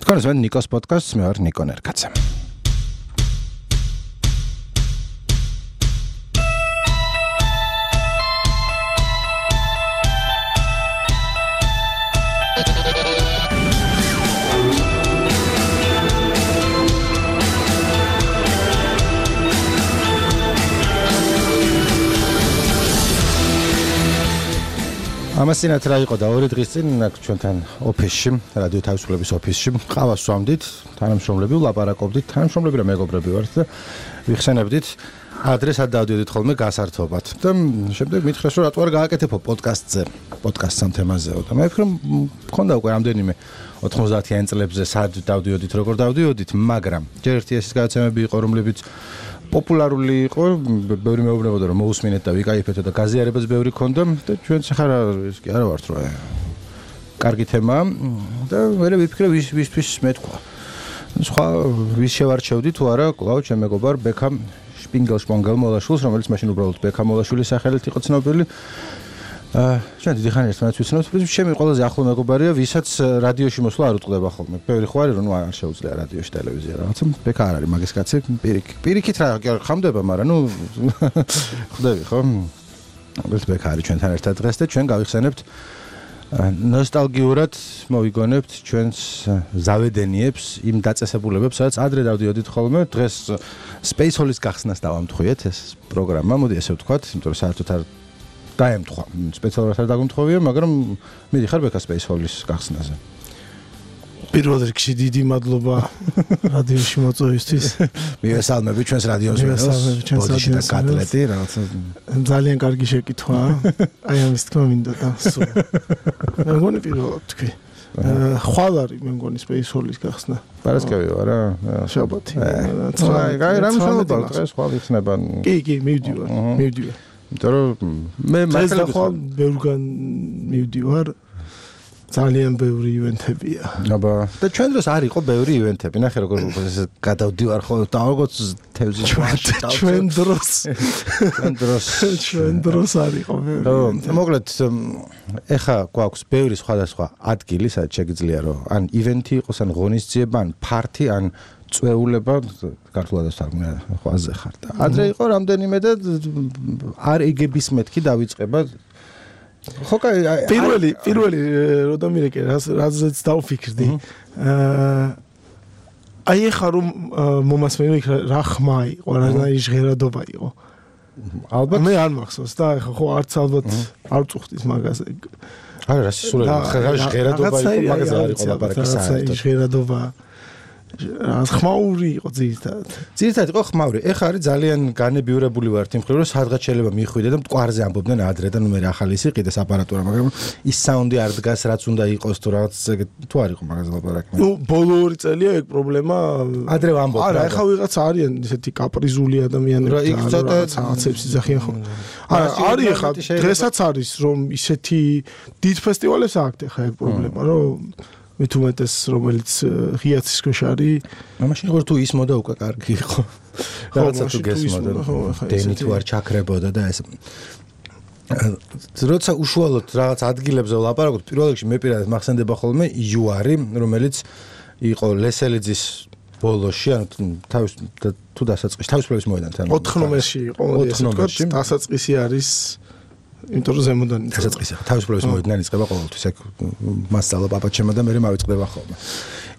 თქვენ ესმენთ ნიკოს პოდკასტს, მე ვარ ნიკო ნერკაძე. ამასინათ რა იყო და 2 დღის წინ ჩვენთან ოფისში, რადიო თავისუფლების ოფისში ყავას ვსვამდით, თანამშრომლები ვლაპარაკობდით, თანამშრომლები და მეგობრები ვართ და ვიხსენებდით ადრესს დავდიოდით ხოლმე გასართობად. და შემდეგ მითხრეს რომ რატო არ გააკეთებო პოდკასტს ამ თემაზეო და მე ვფიქრე მქონდა უკვე რამდენიმე 90-იან წლებზე სად დავდიოდით, როგორ დავდიოდით, მაგრამ ჯერ ერთი ეს გადაცემები იყო, რომლებიც პოპულარული იყო, ბევრი მეუბნებოდა რომ მოусმინეთ და ვიკაიფეთო და გაზიარებაც ბევრი ქონდა და ჩვენც ახლა ის კი არა ვართ რა. კარგი თემაა და მე ვიფიქრე ვისთვის მეთქვა. სხვა ვის შევარჩევდი თუ არა, კლავ ჩემ მეგობარ ბექა შპინგელ მოლაშვილს, რომელიც მაშინ უბრალოდ ბექა მოლაშვილის სახელით იყო ცნობილი. ჩვენ დიდი ხანი ერთმანეთს ვიცნობთ, ჩემი ყველაზე ახლო მეგობარია, ვისაც რადიოში მოსვლა არ უტყდება ხოლმე. ბევრი ხო არის, რომ არ შეუძლია რადიოში, ტელევიზია რაღაცა. ბექა არ არის მაგის კაცი, პირიქით რა ხამდება, მაგრამ ნუ ხვდები ხო? ბექა არის ჩვენთან ერთად დღეს და ჩვენ გავიხსენებთ ნოსტალგიურად მოვიგონებთ ჩვენს ზავედენიებს, იმ დაწესებულებებს, სადაც ადრე დავდიოდით ხოლმე, დღეს Space Hall-ის გახსნას დავამთხვიეთ ეს პროგრამა, მოდი ესე ვთქვათ, იმიტომ რომ საერთოდ არ დაემთხვა, სპეციალურად არ დაგმთხოვია, მაგრამ მიდიხარ ბექა Space Hall-ის გახსნაზე. პირველ რიგში დიდი მადლობა რადიოში მოწვევისთვის. მივესალმები ჩვენს რადიოს მენელს, ბოდიში და კატლეტი, რაღაცა ძალიან კარგი შეკითხვაა. აი ამის თქმა მინდოდა სულ. მე მგონი პირველად თქვი. ხვალ არის მე მგონი Space Hall-ის გახსნა. პარასკევი ვარ რა. შაბათი. აი რა მშობლობა დღეს ხვალ იქნება. კი, მივდივარ. იმიტომ რომ მე მართლა ხვალ ბევრგან მივდივარ. ძალიან ბევრი ივენთებია. აბა და ჩვენ დროს არ იყო ბევრი ივენთები. ნახე როგორ ეს გადავდივარ ხო და როგორც თევზი ჩვენ დროს არ იყო ბევრი. მოკლედ ეხა გვაქვს ბევრი სხვადასხვა ადგილი, სადაც შეგიძლია რომ ან ივენთი იყოს, ან ღონისძიება, ან ფართი, ან წვეულება, ქართულადაც თარგმნია, ხვაზე ხარ და ადრე იყო რამდენიმე და არ იგების მეთქი დავიწყება. ხო კაი, პირველი როდამირეკე რაზეც დავფიქრდი. აი ხა რომ მომასმენო იქ რა ხმა იყო, რა ჟღერადობა იყო. ალბათ მე არ მახსოვს და ხა ხო არც ალბათ არ წუხტის მაგაზე. არა რა სისულელი რა ჟღერადობა იყო, მაგაზე არ იყო ლაპარაკი საერთოდ. ჟღერადობა ხმაური იყო ძირითადად. ძირითადად იყო ხმაური. ეხა არის ძალიან განებიურებული ვართ იმ მხრივ, რომ სადღაც შეიძლება მიხვიდე და მტკვარზე ამბობდნენ ადრე და ნუ მე ახალი ის იყიდეს აპარატურა, მაგრამ ის საუნდი არ დგას, რაც უნდა იყოს თუ რაღაც თუ არ იყო მაგაზე ლაპარაკი. ნუ ბოლო 2 წელია ეგ პრობლემა. ადრე ვამბობ რა. არა, ეხა ვიღაც არიან ესეთი კაპრიზული ადამიანები. რა იქ ცოტა რაღაცებს იძახიან ხო. არა, არის ეხა დღესაც არის რომ ისეთი დიდ ფესტივალებს აქვთ ეხა ეგ პრობლემა, რომ მithumetes რომელიც ღიაცის ქვეშ არის. მაშინ როგორ თუ ის მოდა უკვე კარგი იყო. რაღაცა თუ გესმოდა. დენი თუ არ ჩაქრებოდა და ეს როცა უშუალოდ რაღაც ადგილებზე ვლაპარაკობთ, პირველ რიგში მე პირადად მახსენდება ხოლმე იუარი, რომელიც იყო ლესელიძის ბოლოში, ანუ თავის თუ დასაწყისში, თავისუფლების მოედანთან. 4 ნომერში იყო, დასაწყისი არის იმიტომ რომ ზემოდან დასაწყისი თავისუფლების მოედნიდან იწყება ყოველთვის ეგ მასალა პაპაჩემა და მე მავიწყდება ხოლმე.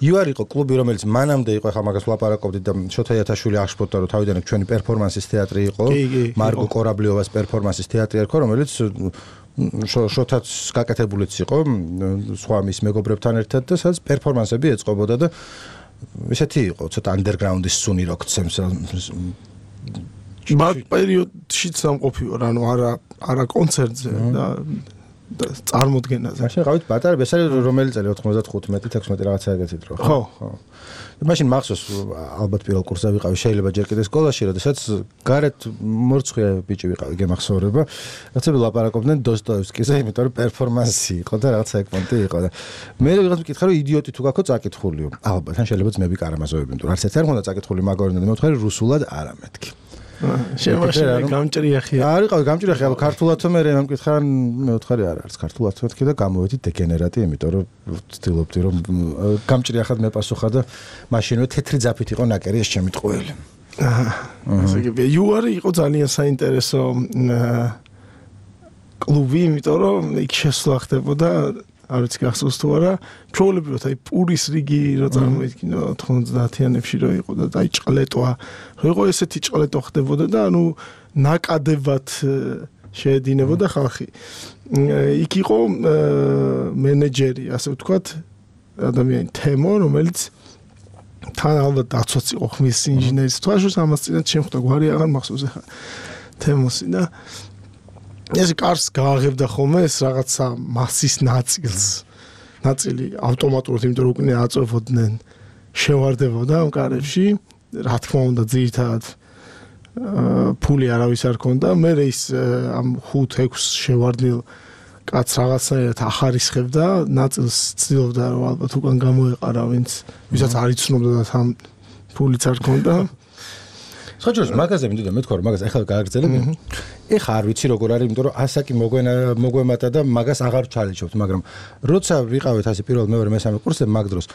იუარი იყო კლუბი, რომელიც მანამდე იყო, ახლა მაგას ვლაპარაკობდით და შოთა იათაშვილი აღშფოთდა რომ თავიდან ჩვენი პერფორმანსის თეატრი იყო, მარგო კორაბლიოვას პერფორმანსის თეატრი იყო, რომელიც შოთაც გაკეთებულიც იყო სხვა მის მეგობრებთან ერთად და სადაც პერფორმანსები ეწყობოდა და ესეთი იყო ცოტა ანდერგრაუნდის სუნი როკცემს მაგ პერიოდშიც სამყოფი ვარ, ანუ არა კონცერტზე და წარმოდგენაზე. მაშინ გავით პატარა, ეს არის რომელი წელი 95-16 რაღაცა ეგეთით რო. ხო. მაშინ მახსოვს ალბათ პირველ კურსზე ვიყავი, შეიძლება ჯერ კიდე სკოლაში, როდესაც გარეთ მორცხვია ბიჭი ვიყავი, გემახსოვრება. რაღაცები ლაპარაკობდნენ დოსტოევსკიზე, იმიტომ რომ პერფორმანსი იყო და რაღაცა ეკმონტი იყო და მე ვიღაც მკითხა რომ იდიოტი თუ გაქო წაკითხულიო. ალბათ ან შეიძლება ძმები კარამაზოვები, იმიტომ რომ არც ერთი არ მქონდა წაკითხული მაგორიდან და მე ვთქვი რუსულად არა მეთქი. შემაშინე გამჭრია ხია. არ იყავი გამჭრია ხია, ქართულათო მე მემკითხან მე ვთხარი არა არის ქართულათო მეთქი და გამოვედი დეგენერატი, იმიტომ რომ ვცდილობდი რომ გამჭრია ხად მე პასუხა და მაშინვე თეთრი ძაფით იყო ნაკერი ეს ჩემი ტყუილი. ასე კი იუარი იყო ძალიან საინტერესო კლუბი, იმიტომ რომ იქ შესვლა ხდებოდა არ ვიცი გახსოვს თუ არა, ჩვეულებრივად აი პურის რიგი რო წარმოიდგინო 90-იანებში რო იყო და აი ჭყლეტვა, რო იყო ესეთი ჭყლეტვა ხდებოდა და ანუ ნაკადებად შეედინებოდა ხალხი. იქ იყო მენეჯერი, ასე ვთქვათ, ადამიანი თემო, რომელიც თან ალბათ დაცვაც იყო ხმის ინჟინერის თვალშიც ამას წინათ შემხვდა გვარი აღარ მახსოვს ახლა თემოსი და ეს კარს გააღებდა ხოლმე ეს რაღაცა მასის ნაწილი ავტომატურად იმიტომ რომ უკვე აწვევოდნენ შევარდებოდა ამ კარებში რა თქმა უნდა ძირითადად ფული არავის არ ქონდა მე ის ამ 5-6 შევარდნილ კაც რაღაცნაირად ახარისხებდა ნაწილს ცდილობდა რომ ალბათ უკან გამოეყარა ვისაც არ იცნობდა და თან ფულიც არ ქონდა ხოჭოს მაგაზე მინდოდა მეთქვა რომ მაგას ახლა გააგრძელებ ეხა არ ვიცი როგორ არის იმიტომ რომ ასაკი მოგვემატა და მაგას აღარ ჩალიჩობთ მაგრამ როცა ვიყავით ასე პირველ მეორე მესამე კურსზე მაგ დროს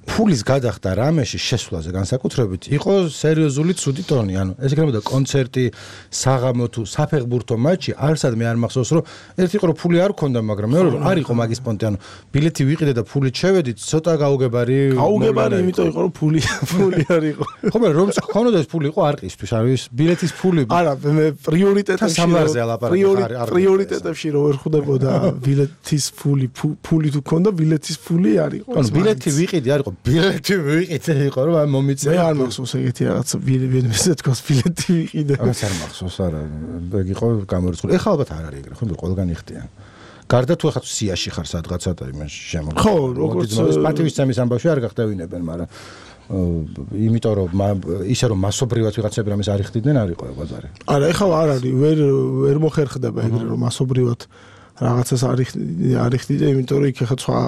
ფულის გადახდა რამეში შესვლაზე განსაკუთრებით იყო სერიოზული ცუდი ტონი ანუ ეს იქნებოდა კონცერტი საღამო თუ საფეხბურთო მატჩი არსად მე არ მახსოვს რომ ერთი იყო რომ ფული არ ქონდა მაგრამ მეორე რომ არ იყო მაგის პონტი ანუ ბილეთი ვიყიდე და ფულით შევედით ცოტა გაუგებარი იმიტომ იყო რომ ფული არ იყო ხო მაგრამ რომ ქონოდა ეს ფული იყო არყისთვის არის ბილეთის ფული არა მე პრიორიტეტებში რო ვერ ხვდებოდა ბილეთის ფული თუ ქონდა ბილეთის ფული არ იყო ანუ ბილეთი ვიყიდე არ იყო ბილეთი ვიყიდე იყო რომ მომიწე მე არ მახსოვს ეგეთი რაღაცა ბილეთი თქოს ბილეთი ვიყიდე ამას არ მახსოვს არა ეგ იყო გამორიცხული ეხლა ალბათ არ არის ეგრე ხო ყველგან იხდიან გარდა თუ ახლა სიაში ხარ სადღაცა და იმას შემოგ ხო როგორც პატივისცემის ამბავში არ გახდევინებენ მაგრამ იმიტომ რომ ისე რომ მასობრივად ვიღაცები რამეს არ იხდიდნენ არ იყო ეგ ბაზარი არა ეხლა არ არის ვერ მოხერხდება ეგრე რომ მასობრივად რაღაცას არ იხდიდა, იმიტომ რომ იქ ახლა სხვა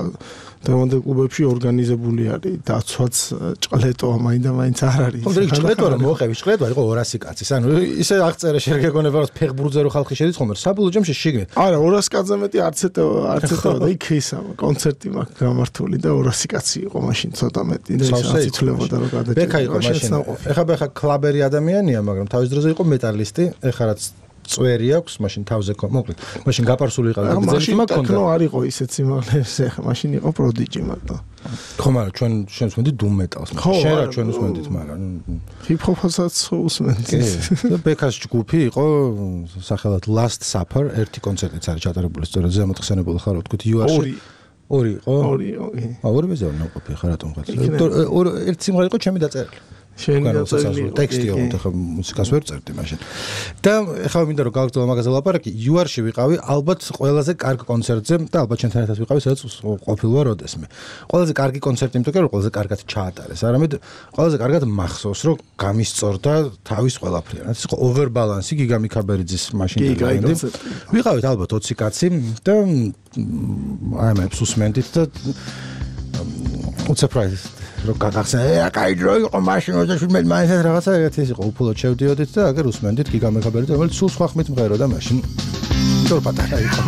დღევანდელ კლუბებში ორგანიზებული არის დაცვაც ჭყლეტვა მაინდა-მაინც არ არის. ხო, ჭყლეტვა რომ მოყევი, ჭყლეტვა იყო 200 კაცის. ანუ ისე აღწერა შეგეგონება რომ ფეხბურთზე რო ხალხი შედის ხომ, საბოლოო ჯამში შიგნით. არა, 200 კაცზე მეტი არც ეტევა და იქ ისა კონცერტი მაქვს გამართული და 200 კაცი იყო მაშინ ცოტა მეტი და ისე იცვლებოდა რომ გადაჭერა. ბექა იყო მაშინ. ეხლა კლაბერი ადამიანია, მაგრამ თავის დროზე იყო მეტალისტი, ეხლა რაც წვერი აქვს, მაშინ თავზე მოკლედ. მაშინ გაპარსული იყავი და ძელი მაქონდა. ნუ არ იყო ისეთ სიმაღლეზე, ახლა მაშინ იყო პროდიჯი მაგრამ. ხო, მაგრამ ჩვენ ვსმენდით დუმ მეტალს. შენ რა ჩვენ ვსმენდით, მაგრამ ჰიპ-ჰოპსაც ვსმენდით. და ბეკას ჯგუფი იყო სახელად Last Supper, ერთი კონცერტიც არის ჩატარებული სწორედ ზემოთხსენებული ხარ ვთქვით UR-ში. ორი იყო? ორი ვეზე ნაყოფი ხარ რატომ ხარ? ერთი სიმღერა იყო ჩემი დაწერილი. შენი დაწერილი ტექსტი იყო ხა მუსიკას ვერ წერდი მაშინ და ეხლა მინდა რომ გავაგრძელო მაგაზე ლაპარაკი UR-ში ვიყავი ალბათ ყველაზე კარგ კონცერტზე და ალბათ ჩვენთან ერთად ვიყავი სადაც ყოფილვარ როდესმე ყველაზე კარგი კონცერტი იმიტომ რომ ყველაზე კარგად ჩაატარეს არამედ ყველაზე კარგად მახსოვს რომ გამისწორდა თავის ყველაფერი რაც იყო ოვერბალანსი გიგა მიქაბერიძის მაშინ ვიყავით ალბათ 20 კაცი და აი მე ვსმენდით და surprise რო გაგახსენე, კაი დრო იყო მაშინ 27 მაინც რაღაცა ეგეთი ის იყო, უფულოდ შევდიოდით და აგერ უსმენდით გიგა მეხაბერით, რომელიც სულ სხვა ხმით მღეროდა მაშინ. თორ პატარა იყო.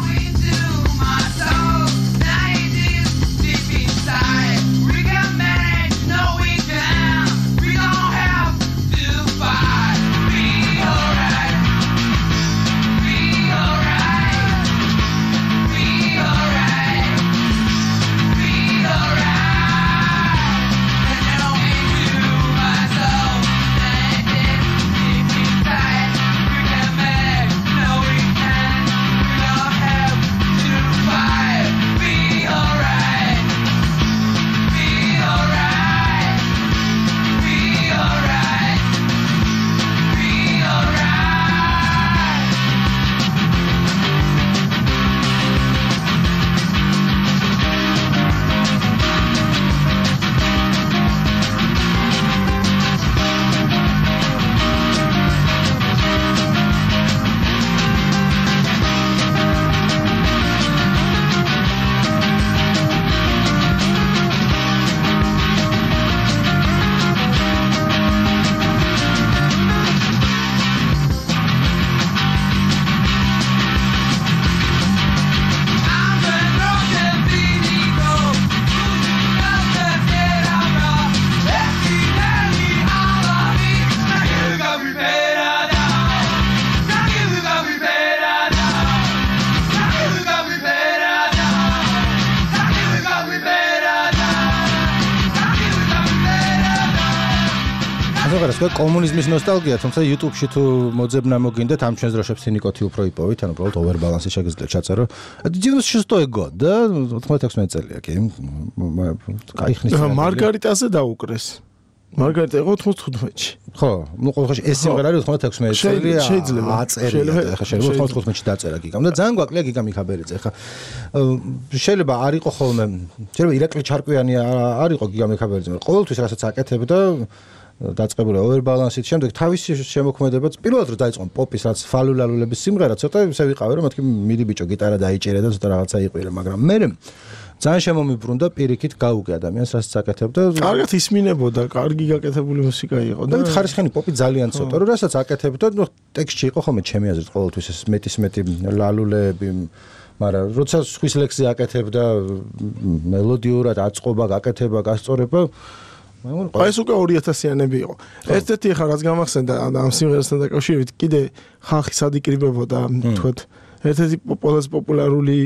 ნუ რა კომუნიზმის ნოსტალგია, თუმცა YouTube-ში თუ მოძებნა მოგინდეთ ამ ჩვენს დროშებს ნიკოთი უფრო იპოვით, ანუ უბრალოდ ოვერბალანსი შეგიძლიათ ჩაწერო. 96 год, да? 96 წელია, კი. კაი ხნის. მარგარიტაზე დაუკრეს. მარგარიტა იყო 95-ში. ხო, ნუ ყოველში ეს სიმღერა არის 96 წელი. შეიძლება აწერია, ეხლა შეიძლება 95-ში დაწერა გიგამ და ძალიან გვაკლია გიგამ იქაბერიძე. ეხლა შეიძლება არ იყო ხოლმე, შეიძლება ირაკლი ჩარკვიანი არ იყო გიგამ იქაბერიძე, მაგრამ ყოველთვის რასაც აკეთებდა დაწყებული ოვერბალანსით, შემდეგ თავისი შემოქმედებაც პირველად რომ დაიწყო პოპის რაც ფალულალულების სიმღერა, ცოტა ისე ვიყავი რომ მეთქი მიდი ბიჭო გიტარა დაიჭერე და ცოტა რაღაცა იყვირე, მაგრამ მე ძალიან შემომიბრუნდა პირიქით გაუგე ადამიანს რასაც აკეთებდა. კარგად ისმინებოდა, კარგი გაკეთებული მუსიკა იყო და ხარისხიანი პოპი ძალიან ცოტა, რომ რასაც აკეთებდა, ნუ ტექსტში იყო ხოლმე ჩემი აზრით ყოველთვის ეს მეტი ლალულეები, მაგრამ როცა სხვის ლექსი აკეთებდა მელოდიურად აწყობა, გაკეთება, გასწორება აი ეს უკვე 2000-იანები იყო. ერთ-ერთი ხა რაც გამახსენდა ამ სიმღერასთან დაკავშირებით, კიდე ხალხი სადიკრიბებოდა, თქვათ, ერთ-ერთი ყველაზე პოპულარული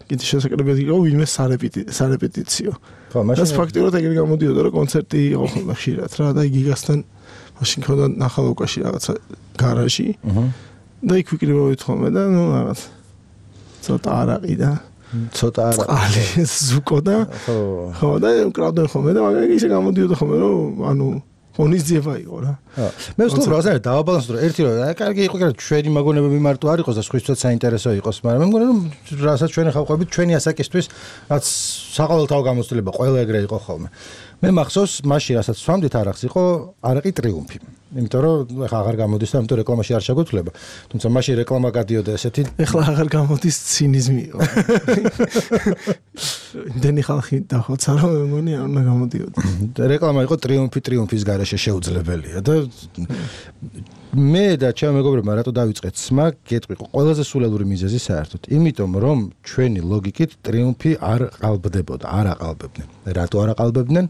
კიდე შესაძლებელი იყო ვინმე სარეპეტიციო. ხო, მაშინ ეს ფაქტიურად ეგრე გამოდიოდა, რომ კონცერტი იყო ხოლმე ხშირად რა და გიგასთან მაშინ ქონდა ნახალოკაში რაღაცა გარაჟი. და იქ ვიკრიბებოდით ხოლმე და ნუ რაღაც ცოტა არაყი და ცოტა არა ზუკო და ხო და კრავდნენ ხოლმე და მაგრამ ისე გამოდიოდა ხოლმე რომ ანუ ღონისძიება იყო რა. მე ვსწავლობ რა ზარ დავაბალანსო რომ ერთი რომ კარგი იყო რა ჩვენი მაგონებები მარტო არ იყოს და სხვისთვისაც საინტერესო იყოს, მაგრამ მე მგონი რომ რასაც ჩვენი ხალხები ჩვენი ასაკისთვის რაც საყოველთაო გამოცდილება ყველა ეგრე იყო ხოლმე. მე მახსოვს მაშინ რასაც სვამდით არახს იყო არაყი ტრიუმფი. იმიტომ რომ ეხლა აღარ გამოდის და ამიტომ რეკლამაში არ შეგვეთვლება. თუმცა მაშინ რეკლამა გადიოდა ესეთი ეხლა აღარ გამოდის ცინიზმი იყო. იმდენი ხალხი დახოცა რომ მე მგონი არ უნდა გამოდიოდა. რეკლამა იყო ტრიუმფის გარეშე შეუძლებელია და მე და ჩემი მეგობრებმა რატო დავიწყეთ სმა გეტყვი ყველაზე სულელური მიზეზი საერთოდ. იმიტომ რომ ჩვენი ლოგიკით ტრიუმფი არ ყალბდებოდა, არ აყალბებდნენ. რატო არ აყალბებდნენ?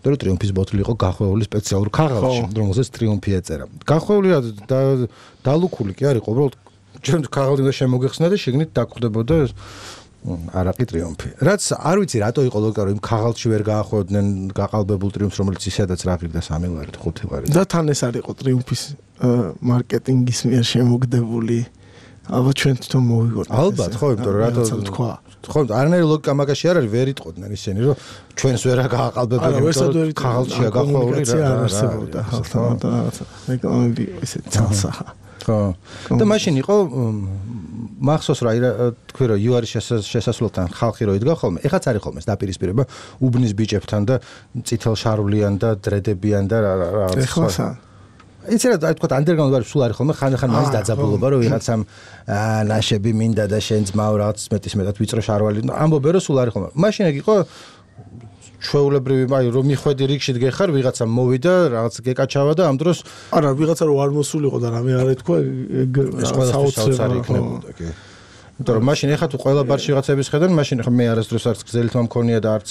რომ ტრიუმფის ბოთლი იყო გახვეული სპეციალურ ქაღალდში, რომელზეც ტრიუმფი ეწერა. გახვეული და დალუქული კი არ იყო, უბრალოდ ჩვენ ქაღალდი და შემოგეხსნა და შეგნით დაგვხდებოდა არაყი ტრიუმფი. რაც არ ვიცი რატო იყო ლოგიკა, რომ იმ ქაღალდში ვერ გაახვევდნენ გაყალბებულ ტრიუმფს, რომელიც ისედაც რა ღირდა 3 ლარი, 5 ლარი. და თან ეს არ იყო ტრიუმფის მარკეტინგის მიერ შემოგდებული. ალბათ ჩვენ თვითონ მოვიგოთ. ალბათ, ხო, იმიტომ რომ რატო თქვა. ხო, არანაირი ლოგიკა მაგაში არ არის, ვერ იტყოდნენ ისინი, რომ ჩვენს ვერ გააყალბებენ, იმიტომ რომ ქაღალდშია გახვეული რა არ არსებობდა ხალხთან და რაღაცა. რეკლამები ისეთი ცალსახა. ხო. და მაშინ იყო მახსოვს რა თქვი რომ იუარის შესასვლელთან ხალხი რო იდგა ხოლმე. ეხაც არის ხოლმე ეს დაპირისპირება უბნის ბიჭებთან და წითელ შარვლიან და დრედებიან და რაღაც. ეხლასა იცი რა თქვა ანდერგრაუნდ არის სულ არის ხოლმე ხან მაინც დაძაბულობა რომ ვიღაცამ ნაშები მინდა და შენ ძმაო რაღაც მეტად ვიწრო შარვალი ამბობენ რომ სულ არის ხოლმე. მაშინ ეგ იყო ჩვეულებრივი აი რომ მიხვედი რიგში დგეხარ ვიღაცა მოვიდა რაღაც გეკაჩავა და ამ დროს არა ვიღაცა რო არ მოსულიყო და რამე არ ეთქვა ეგ საოცარი იქნებოდა კი. იმიტომ რომ მაშინ ეხა თუ ყველა ბარში ვიღაცების ხედავენ მაშინ ხა მე არასდროს არც გზელით მომქონია და არც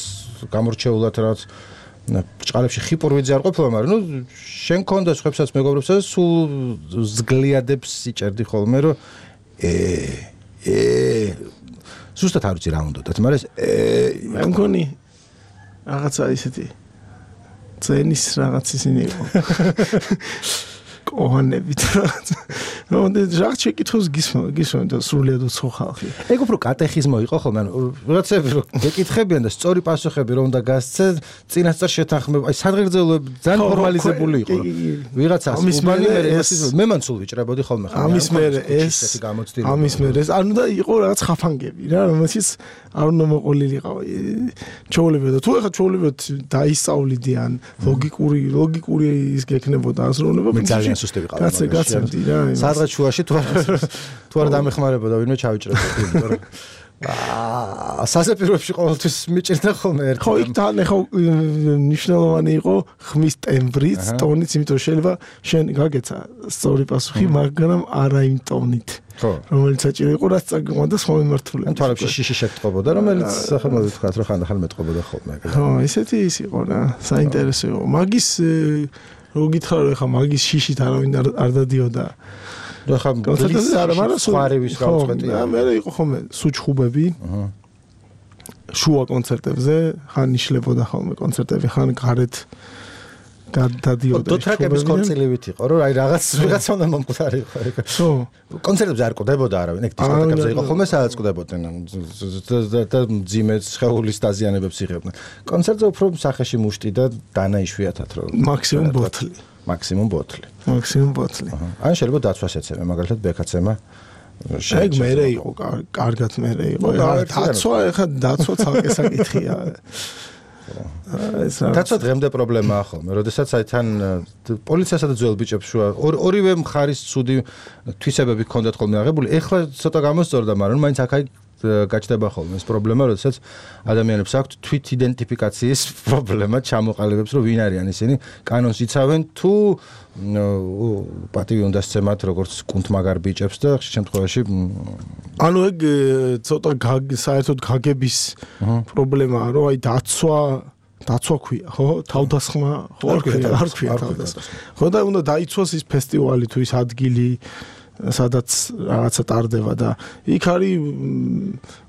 გამორჩეულად რაღაც ჭყალებში ხიპურვიძე არ ყოფილა, მაგრამ ნუ შენ კონდა სხვებსაც მეგობრებსაც სულ ზგლიადებს იჭერდი ხოლმე რომ ზუსტად არ ვიცი რა უნდათ, მაგრამ ეს მე მგონი რაღაცა ისეთი წენის რაღაც ისინი იყო. კოანებით რაღაც. რომ რაღაც შეკითხოს გისმენ და სრულიად უცხო ხალხი. ეგ უფრო კატეხიზმო იყო ხოლმე, ანუ რაღაცები რომ გეკითხებიან და სწორი პასუხები რომ უნდა გასცე, წინასწარ შეთანხმება, აი სადღეგრძელოები ძალიან ფორმალიზებული იყო. ვიღაცას უბანი მე მან სულ ვიჭრებოდი ხოლმე ხა. ამის მერე ეს ამის მერე ეს ანუ და იყო რაღაც ხაფანგები რა, რომელშიც არ უნდა მოყოლილიყავ. ჩაოლებია და თუ ეხა ჩაოლებიოთ დაისწავლიდიან ლოგიკური ის გექნებოდა აზროვნება ძალიან სუსტი ვიყავ. გაცემდი რა. სადღაც შუაში თუ არ დამეხმარებოდა ვინმე ჩავიჭრებოდი, იმიტომ რომ სასაპიროებში ყოველთვის მიჭირდა ხოლმე ერთი. ხო, იქ თან ეხა ნიშნულოვანი იყო ხმის ტემბრიც, ტონიც, იმიტომ შეიძლება შენ გაგეცა სწორი პასუხი, მაგრამ არა იმ ტონით. ხო. რომელიც საჭირო იყო, რაც წაგიყვანდა სხვა მიმართულებით. ან თვალებში შიში შეგტყობოდა, რომელიც სახელმწიფო ვთქვათ, რომ ხანდახან მეტყობოდა ხოლმე. ხო, ისეთი ის იყო რა, საინტერესო იყო. მაგის რო გითხრა რომ ეხა მაგის შიშით არავინ არ დადიოდა. და ხა სხვარივის გავწყვეტია. მე იყო ხოლმე სუჩხუბები. შუა კონცერტებზე ხან იშლებოდა ხოლმე კონცერტები, ხან გარეთ გადადიოდა. დოტრაკების კონცილივით იყო, რომ აი ვიღაცა უნდა მომკვდარიყო. ხო. კონცერტებზე არ ყვდებოდა არავინ, ეგ დისკოთეკებზე იყო ხოლმე სადაც ყვდებოდნენ და მძიმე სხეულის დაზიანებებს იღებდნენ. კონცერტზე უფრო სახეში მუშტი და დანა იშვიათად რომ მაქსიმუმ ბოთლი. ან შეიძლება დაცვას ეცემა, მაგალითად ბექაცემა ეგ მერე იყო, კარგად მერე იყო. დაცვა ეხა დაცვა ცალკე საკითხია. დაცვა დღემდე პრობლემაა ხოლმე, როდესაც აი თან პოლიციასა და ძველ ბიჭებს შუა ორივე მხარის ცუდი თვისებები ჰქონდათ ხოლმე აღებული. ეხლა ცოტა გამოსწორდა, მაგრამ მაინც აქ-აი გაჩნდება ხოლმე ეს პრობლემა, როდესაც ადამიანებს აქვთ თვით იდენტიფიკაციის პრობლემა, ჩამოყალიბებს, რომ ვინ არიან ისინი, კანონს იცავენ თუ პატივი უნდა სცემათ როგორც კუნთმაგარ ბიჭებს და ხშირ შემთხვევაში ანუ ეგ ცოტა საერთოდ გაგების პრობლემაა, რომ აი დაცვა ქვია, ხო? თავდასხმა ხო არ ქვია თავდასხმა. ხო და უნდა დაიცვას ის ფესტივალი თუ ის ადგილი სადაც რაღაცა ტარდება და იქ არის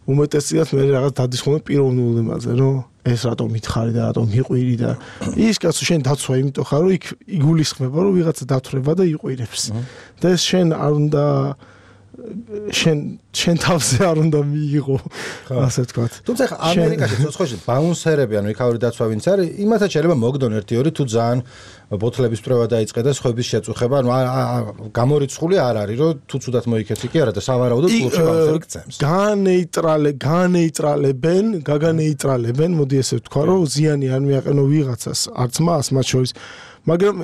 უმეტესწილად მე რაღაც დადისხმები პიროვნულ იმაზე, რომ ეს რატომ მითხარი და რატომ მიყვირი და ის კაცო შენ დაცვა იმიტომ ხარ, რომ იქ იგულისხმება, რომ ვიღაცა დათვრება და იყვირებს. და ეს შენ არ უნდა შენ თავზე არ უნდა მიიღო, ასე ვთქვათ. თუმცა ხა ამერიკაში ცოცხლში ბაუნსერები, ანუ იქაური დაცვა ვინც არის, იმათაც შეიძლება მოგდონ 1-2 თუ ძალიან ბოთლების პრევა დაიწყე და სხვების შეწუხება, ანუ გამორიცხული არ არის, რომ თუ ცუდად მოიქეცი კი არა და სავარაუდოდ კლუბში ბაუნსერი გწემს. გაგანეიტრალებენ, მოდი ესე ვთქვა, რომ ზიანი არ მიაყენო ვიღაცას, არც მას, მათ შორის, მაგრამ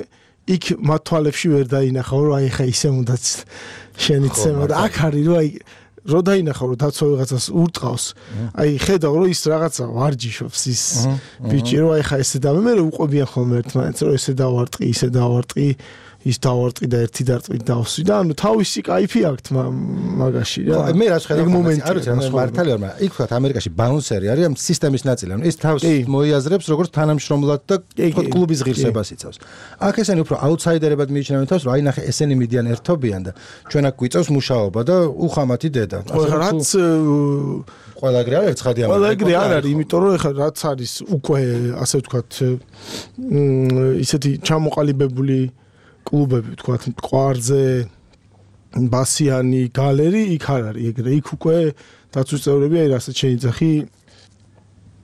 იქ მათ თვალებში ვერ დაინახავ, რომ აი ხა ისე უნდაც შენიცემა და აქ არის, რომ აი რო დაინახავ, რომ დაცვა ვიღაცას ურტყავს, აი ხედავ, რომ ის რაღაცა ვარჯიშობს ის ბიჭი, რომ აი ხა ესე და მე უყვებიან ხოლმე ერთმანეთს, რომ ესე დავარტყი, ისე დავარტყი, ის დავარტყი და ერთი დარტყით დავსვი და ანუ თავისი кайფი აქვს მაგაში რა. მე რაც ხედავ მომენტი არ ვიცი, მართალი არ, მაგრამ იქ ვთქვათ ამერიკაში ბაუნსერი არის ამ სისტემის ნაწილი, ანუ ის თავს მოიაზრებს როგორც თანამშრომლად და თქო კლუბის ღირსებას იცავს. აქ ესენი უფრო აუთსაიდერებად მიიჩნევენ თავს, რომ აი ნახე ესენი მიდიან ერთობიან და ჩვენ აქ გვიწევს მუშაობა და უხამათი დედა. რაც ყველაგრე არ ერთხადი ამერიკა. ყველაგრე არ არის, იმიტომ რომ ეხლა რაც არის უკვე ასე ვთქვათ ისეთი ჩამოყალიბებული კლუბები ვთქვათ მტკვარზე, ბასიანი, გალერი იქ არ არის ეგრე. იქ უკვე დაცვის წევრები აი რასაც შეიძლება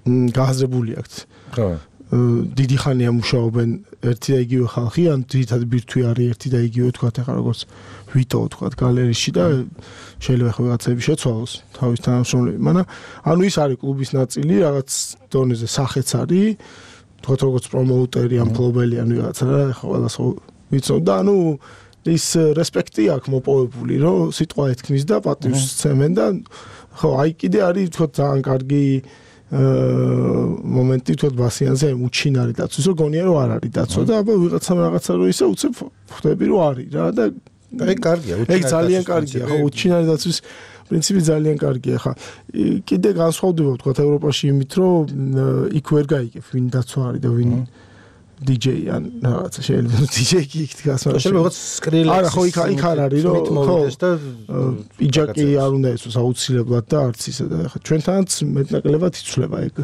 გააზრებული აქვთ. ხო. დიდი ხანია მუშაობენ ერთი და იგივე ხალხი, ან ძირითადად ბირთვი არის ერთი და იგივე ვთქვათ ახლა როგორც ვიტო ვთქვათ გალერეში და შეიძლება ხო რაღაცები შეცვალოს თავის თანამშრომლები. მაგრამ ანუ ის არის კლუბის ნაწილი, რაღაც დონეზე სახეც არის, ვთქვათ როგორც პრომოუტერი ან ფლობელი ან ვიღაცა რა, ხო ყველას ვიცნობ და ანუ ის რესპექტი აქვს მოპოვებული, რომ სიტყვა ეთქმის და პატივს სცემენ და ხო აი კიდე არის ვთქვათ ძალიან კარგი მომენტი თქო ბასიანზე უჩინარი დაცვის რომ გონია რომ არ არის დაცვა და აბა ვიღაცამ რაღაცა რომ ისე უცებ ხვდები რომ არის რა და ეგ კარგია უჩინარი ეგ ძალიან კარგია ხო უჩინარი დაცვის პრინციპი ძალიან კარგია ხა კიდე განსხვავდება თქო ევროპაში იმით რომ იქ ვერ გაიგებ ვინ დაცვა არის და ვინ DJ ან რაღაცა შეიძლება DJ კი იქ დგას მაგრამ შეიძლება რაღაც სკრილექსი არა ხო იქ არ არის რომ ხო პიჯაკი არ უნდა ესოს აუცილებლად და არც ისე და ხა ჩვენთანაც მეტნაკლებად იცვლება ეგ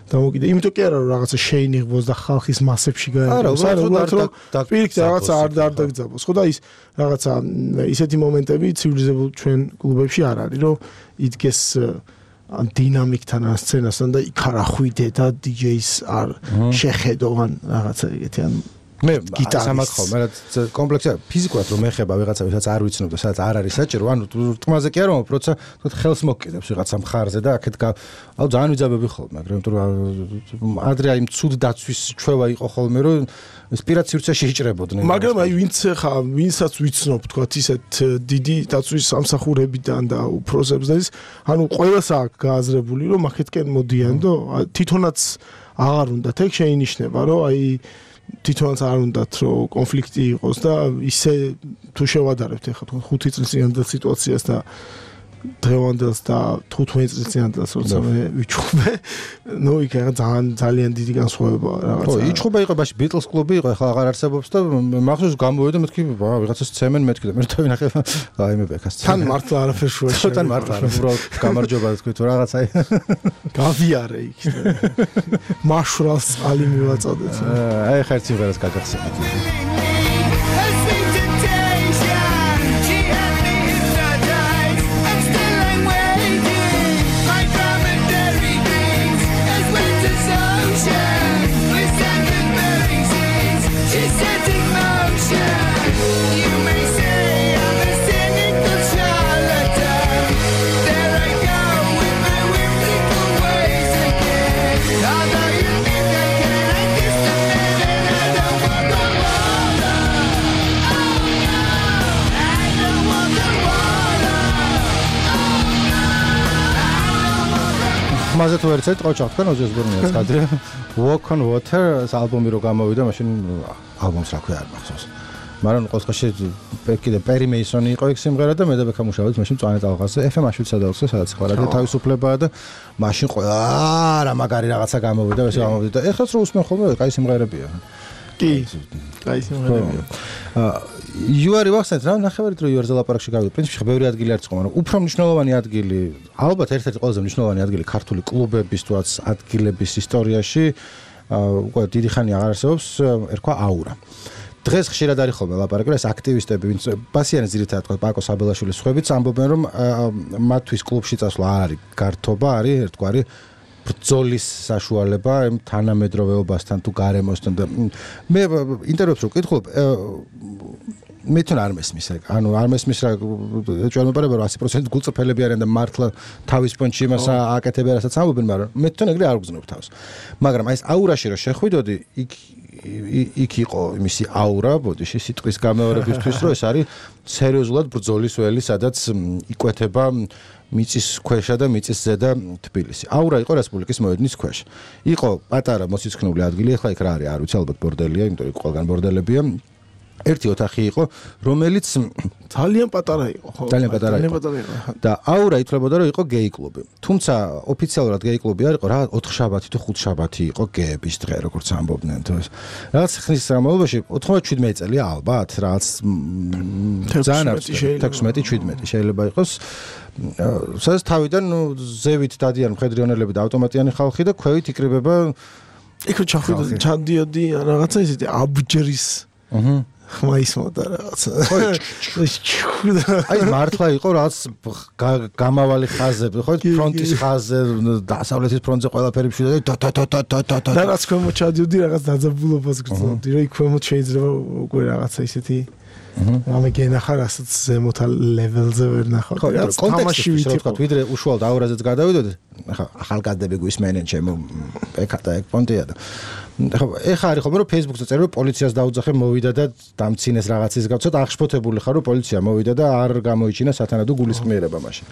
და მოკიდე იმიტომ კი არა რომ რაღაცა შეინიღბოს და ხალხის მასებში გაიგოს არა უბრალოდ რომ პირიქით რაღაცა არ დაგძაბოს ხო და ის რაღაცა ისეთი მომენტები ცივილიზებულ ჩვენ კლუბებში არ არის რომ იდგეს ან დინამიკთან ან სცენასთან და იქ არ ახვიდე და DJ-ს არ შეხედო ან რაღაცა ეგეთი ან მე სამახო მაგრამ კომპლექსია ფიზიკურად რომ ეხება ვიღაცა ვისაც არ ვიცნობ და სადაც არ არის საჭირო ანუ თქმაზე კი არა პროცესა ხელს მოკიდებს ვიღაცა მხარზე და აქეთ აუ ძალიან ვიძაბები ხოლმე მაგრამ იმიტომ ადრე აი ცუდ დაცვის ჩვევა იყო ხოლმე რომ სპირაც სივრცეში იჭრებოდნენ მაგრამ აი ვინცაც ვიცნობ თქვა ისეთ დიდი დაცვის სამსახურებიდან და უფროსებს და ის ანუ ყველას აქვს გააზრებული რომ აქეთკენ მოდიან და თვითონაც აღარ უნდა ეგ შეინიშნება რომ აი თვითონაც არ უნდათ რომ კონფლიქტი იყოს და ისე თუ შევადარებთ ახლა 5 წლის წინანდელ სიტუაციას და დღევანდელს და 15 წლის წინანდელს როცა მე ვიჩხუბე, ნუ იქ ძალიან დიდი განსხვავებაა რაღაცა. ხო, იჩხუბე იყო ბაში Beatles კლუბი იყო, ახლა აღარ არსებობს და მახსოვს გამოვიდა მეთქი, ვიღაცას ცემენ მეთქი და მე დავინახე, აი მე ბეკას. თან მართლა არაფერ შუაში. თან მართლა არა, უბრალოდ გამარჯობა თქვი თუ რაღაცა. გავიარე იქ. მაშვრალს წალი მივაწოდეთ. აი ხა ერთ სიმღერას გაგახსენეთ. მასე თუ ერთ წელს ყავჩახ თქვენ ოზესბურნიაც კადრია Walk on Water ალბომი რო გამოვიდა მაშინ ალბომს რა ქვია არ მახსოვს მაგრამ ყოველთვის კიდე პერი მეისონი იყო იქ სიმღერა და მე და ბექა მუშაობთ მაშინ წვანე ტალღაზე FM-ში სადავსე სადაც ხარ და თავისუფლებაა და მაშინ რა მაგარი რაღაცა გამოვიდა ესე გამოვიდა და ეხლაც რო უსმენ ხოლმე კაი სიმღერებია კი კაი სიმღერებია იუარი ვახსენეთ რა ნახევარი დრო იუარზე ლაპარაკში გავიდა პრინციპში ბევრი ადგილი არის მაგრამ უფრო მნიშვნელოვანი ადგილი ალბათ ერთ-ერთი ყველაზე მნიშვნელოვანი ადგილი ქართული კლუბების თუაც ადგილების ისტორიაში უკვე დიდი ხანი აღარ არსებობს ერქვა აურა დღეს ხშირად არის ხოლმე ლაპარაკი ეს აქტივისტები ვინც პასიანის ძირითადად თქვა პაკო საბელაშვილის ხვებით ამბობენ რომ მათთვის კლუბში წასვლა არ არის გართობა არის ერთგვარი ბრძოლის საშუალება თანამედროვეობასთან თუ გარემოსთან და მე ინტერვიუებს რო ვკითხულობ მე თან არ მესმის ანუ არ მესმის რა ჩვენ მეპარება რომ 100% გულწრფელები არიან და მართლა თავის პონჩი იმას აკეთებენ რასაც ამბობენ მაგრამ მე თან ეგრე არ ვგზნობ თავს მაგრამ აი ეს აურაში რო შეხვიდოდი იქ იყო იმისი აურა ბოდიში სიტყვის გამეორებისთვის რომ ეს არის სერიოზულად ბრძოლის ველი სადაც იკვეთება მიწის ქვეშა და მიწის ზედა თბილისი. აურა იყო რესპუბლიკის მოედნის ქვეშ. იყო პატარა მოსიცქნული ადგილი, ახლა იქ რა არის, არ ვიცი, ალბათ ბორდელია, იმიტომ რომ ყველგან ბორდელებია. ერთი ოთახი იყო, რომელიც ძალიან პატარა იყო, ხო? ძალიან პატარა იყო. და აურა ითვლებოდა, რომ იყო გეი კლუბი. თუმცა ოფიციალურად გეი კლუბი არ იყო, რა 4 შაბათი თუ 5 შაბათი იყო გეების დღე, როგორც ამბობდნენ თუ ეს. რაღაც ხნის განმავლობაში 97 წელია ალბათ, რაღაც ძალიან არის 16-17 შეიძლება იყოს. სადაც თავიდან ზევით დადიან მხედრიონელები და ავტომატიანი ხალხი და ქვევით იკრიბება იქ ჩახვიდა ჩადიოდი რაღაცა ისეთი აბჯრის ხმა ისმოდა რაღაცა აი მართლა იყო რაღაც გამავალი ხაზები ხო ფრონტის ხაზე დასავლეთის ფრონტზე ყველაფერი მშვიდა და რაც ქვემოთ ჩადიოდი რაღაც დაძაბულობას გრძნობდი რომ იქ ქვემოთ შეიძლება უკვე რაღაცა ისეთი ამე გენახა რასაც ზემოთ ლეველზე ვერ ნახავ. კონტექსტში ვთქვა, ვიდრე უშუალოდ აურაზეც გადავიდოდი. ახლა ახალგაზრდები გვისმენენ ჩემო ეკატა ეგ პონტია და ეხა არის ხოლმე რომ Facebook-ზე წერო პოლიციას დაუძახე მოვიდა და დამცინეს რაღაცის გავ ცოტა აღშფოთებული ხარ რომ პოლიცია მოვიდა და არ გამოიჩინა სათანადო გულისხმიერება მაშინ.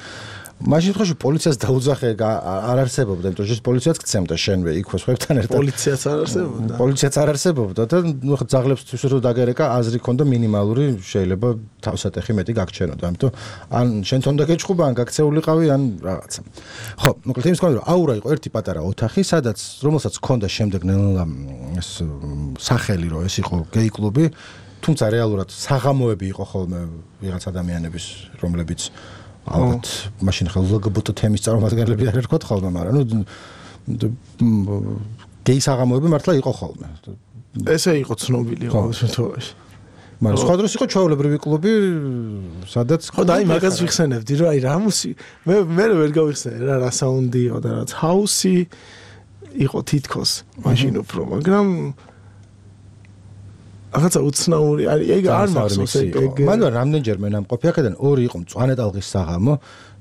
მაშინ ხოში პოლიციას დაუძახე არ არსებობდა, იმიტომ რომ პოლიციაც გცემდა შენვე იქ სხვებთან ერთად. პოლიციაც არ არსებობდა. პოლიციაც არ არსებობდა და ნუ ძაღლებსთვის რო დაგერეკა აზრი ქონდა მინიმალური შეიძლება თავსატეხი მეტი გაგჩენოდა, ამიტომ ან შენ თონდა გეჭხუბა, ან გაქცეულიყავი, ან რაღაცა. ხო, მოკლედ იმის გამო რომ აურა იყო ერთი პატარა ოთახი, სადაც რომელსაც ქონდა შემდეგ ნელა ეს სახელი რომ ეს იყო გეი კლუბი, თუმცა რეალურად საღამოები იყო ხოლმე ვიღაც ადამიანების რომლებიც ალბათ მაშინ ხელ LGBT თემის წარმომადგენლები არ ერქვა ხოლმე, მაგრამ ნუ გეი საღამოები მართლა იყო ხოლმე. ესე იყო ცნობილი ყოველ შემთხვევაში. მაგრამ სხვა დროს იყო ჩვეულებრივი კლუბი, სადაც ხო და აი მაგას ვიხსენებდი, რომ აი რა მე ვერ გავიხსენე რა საუნდი იყო და რაც ჰაუსი იყო თითქოს მაშინ უფრო, მაგრამ რაღაცა უცნაური არის ეგ არ მახსოვს ეგ მაგრამ რამდენჯერმე ნამყოფი აქედან ორი იყო მწვანე ტალღის საღამო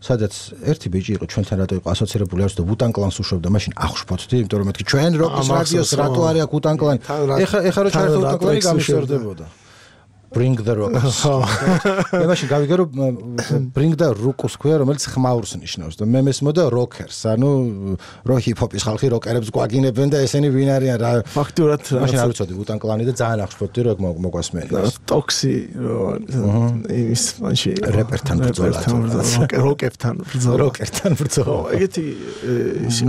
სადაც ერთი ბიჭი იყო ჩვენთან რატო იყო ასოცირებული არის და ვუტან კლანს უშვებდა მაშინ აღშფოთდი იმიტომ რომ მეთქი ჩვენ როკის რადიოს რატო არის აქ ვუტან კლანი ეხა რო ჩაერთო ვუტან კლანი გამიშორდებოდა bring the rockers. მე მაშინ გავიგე რომ bring the rockers ქვია, რომელიც ხმაურს ნიშნავს და მე მესმოდა rockers, ანუ რო ჰიპ-ჰოპის ხალხი როკერებს გვაგინებენ და ესენი ვინ არიან რა. ფაქტურად მაშინ არ ვიცოდი Wu-Tang Clan-ი და ძალიან აღშფოთდი რომ მოგვასმენია. ტოქსი იმის მაშინ რეპერთან ბრძოლა. როკერთან ბრძოლა. ეგეთი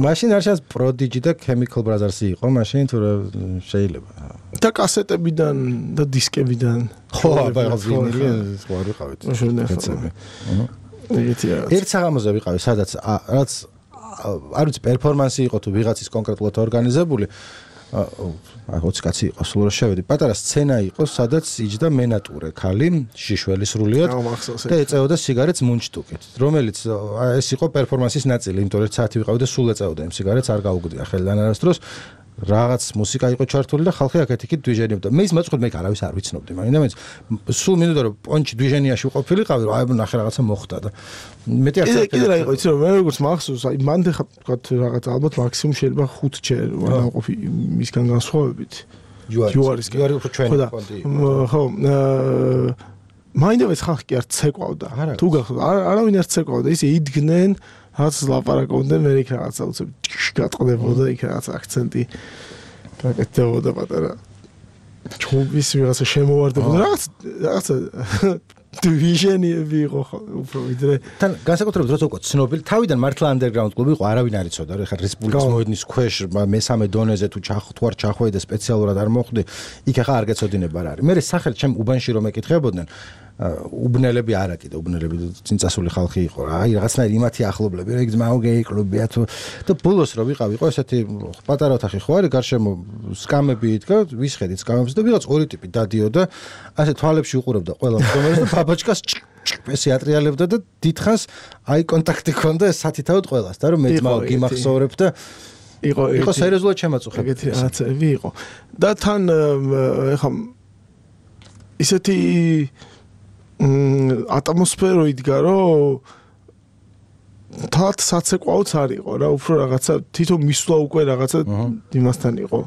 მაშინ არ შეას Prodigy და Chemical Brothers-ი იყო მაშინ თუ შეიძლება. და კასეტებიდან და დისკებიდან ხო, აბა ვინილი სხვა ვიყავით. ერთ საღამოზე ვიყავი, სადაც რაც არ ვიცი პერფორმანსი იყო თუ ვიღაცის კონკრეტულად ორგანიზებული. 20 კაცი იყო, სულ რა შევედი. პატარა სცენა იყო, სადაც იჯდა მენატურე ქალი, შიშველი სრულიად და ეწეოდა სიგარეტს მუნჩტუკით, რომელიც ეს იყო პერფორმანსის ნაწილი, იმიტომ რომ საათი ვიყავი და სულ ეწეოდა იმ სიგარეტს, არ გაუგდია ხელიდან არასდროს. რაღაც მუსიკა იყო ჩართული და ხალხი აქეთ-იქით დვიჟენიებდა. მე ის მაწყობ მე არავის არ ვიცნობდი, მაგრამ მე სულ მინდოდა რომ პონჩი დვიჟენიაში ვყოფილიყავი, რომ აი ნახე რაღაცა მოხდა და მეტი არ კიდე რა იყო, იცი რომ მე როგორც მახსოვს, აი მანდ ხა ვთქვათ რაღაც ალბათ მაქსიმუმ შეიძლება 5 ჯერ ვანაყოფი მისგან განსხვავებით. ჯუარი უფრო ჩვენი პონტი. ხო, მაინდამაც ხალხი კი არ ცეკვავდა. თუ გახსოვთ, არავინ არ ცეკვავდა, ისე იდგნენ რაც ლაპარაკობდნენ, მე იქ რაღაცა უცებ გატყდებოდა, იქ რაღაცა აქცენტი გაკეთდებოდა პატარა. ჩუბის რაღაცა შემოვარდებოდა, რაღაცა დივიჟენიები იყო უფრო ვიდრე. თან განსაკუთრებით როცა უკვე ცნობილი, თავიდან მართლა underground კლუბი იყო, არავინ არ იცოდა, რა ხა რესპუბლიკის მოედნის ქვეშ მესამე დონეზე თუ არ ჩახვედი და სპეციალურად არ მოხვდი, იქ ახლა არ გეცოდინება რა არის. მე სახელით ჩემ უბანში რომ ეკითხებოდნენ უბნელები არა კიდე უბნელები წინწასული ხალხი იყო რა აი რაღაცნაირი იმათი ახლობლები რა იქ ძმაო გეი კლუბია თუ და ბოლოს რო ვიყავი იყო ესეთი პატარა ოთახი ხო არის გარშემო სკამები იდგა ვისხედით სკამებს და ვიღაც ორი ტიპი დადიოდა ასე თვალებში უყურებდა ყველა მდგომარეს და ბაბაჩკას ესე ატრიალებდა და დიდხანს აი კონტაქტი ქონდა სათითაოდ ყველას და რომ მე ძმაო გიმახსოვრებ და იყო სერიოზულად შემაწუხებ ეგეთი რაღაცები იყო და თან ეხა ისეთი ატმოსფერო იდგა რომ თათ საცეკვაოც არ იყო რა უფრო რაღაცა თვითონ მისვლა უკვე რაღაცა იმასთან იყო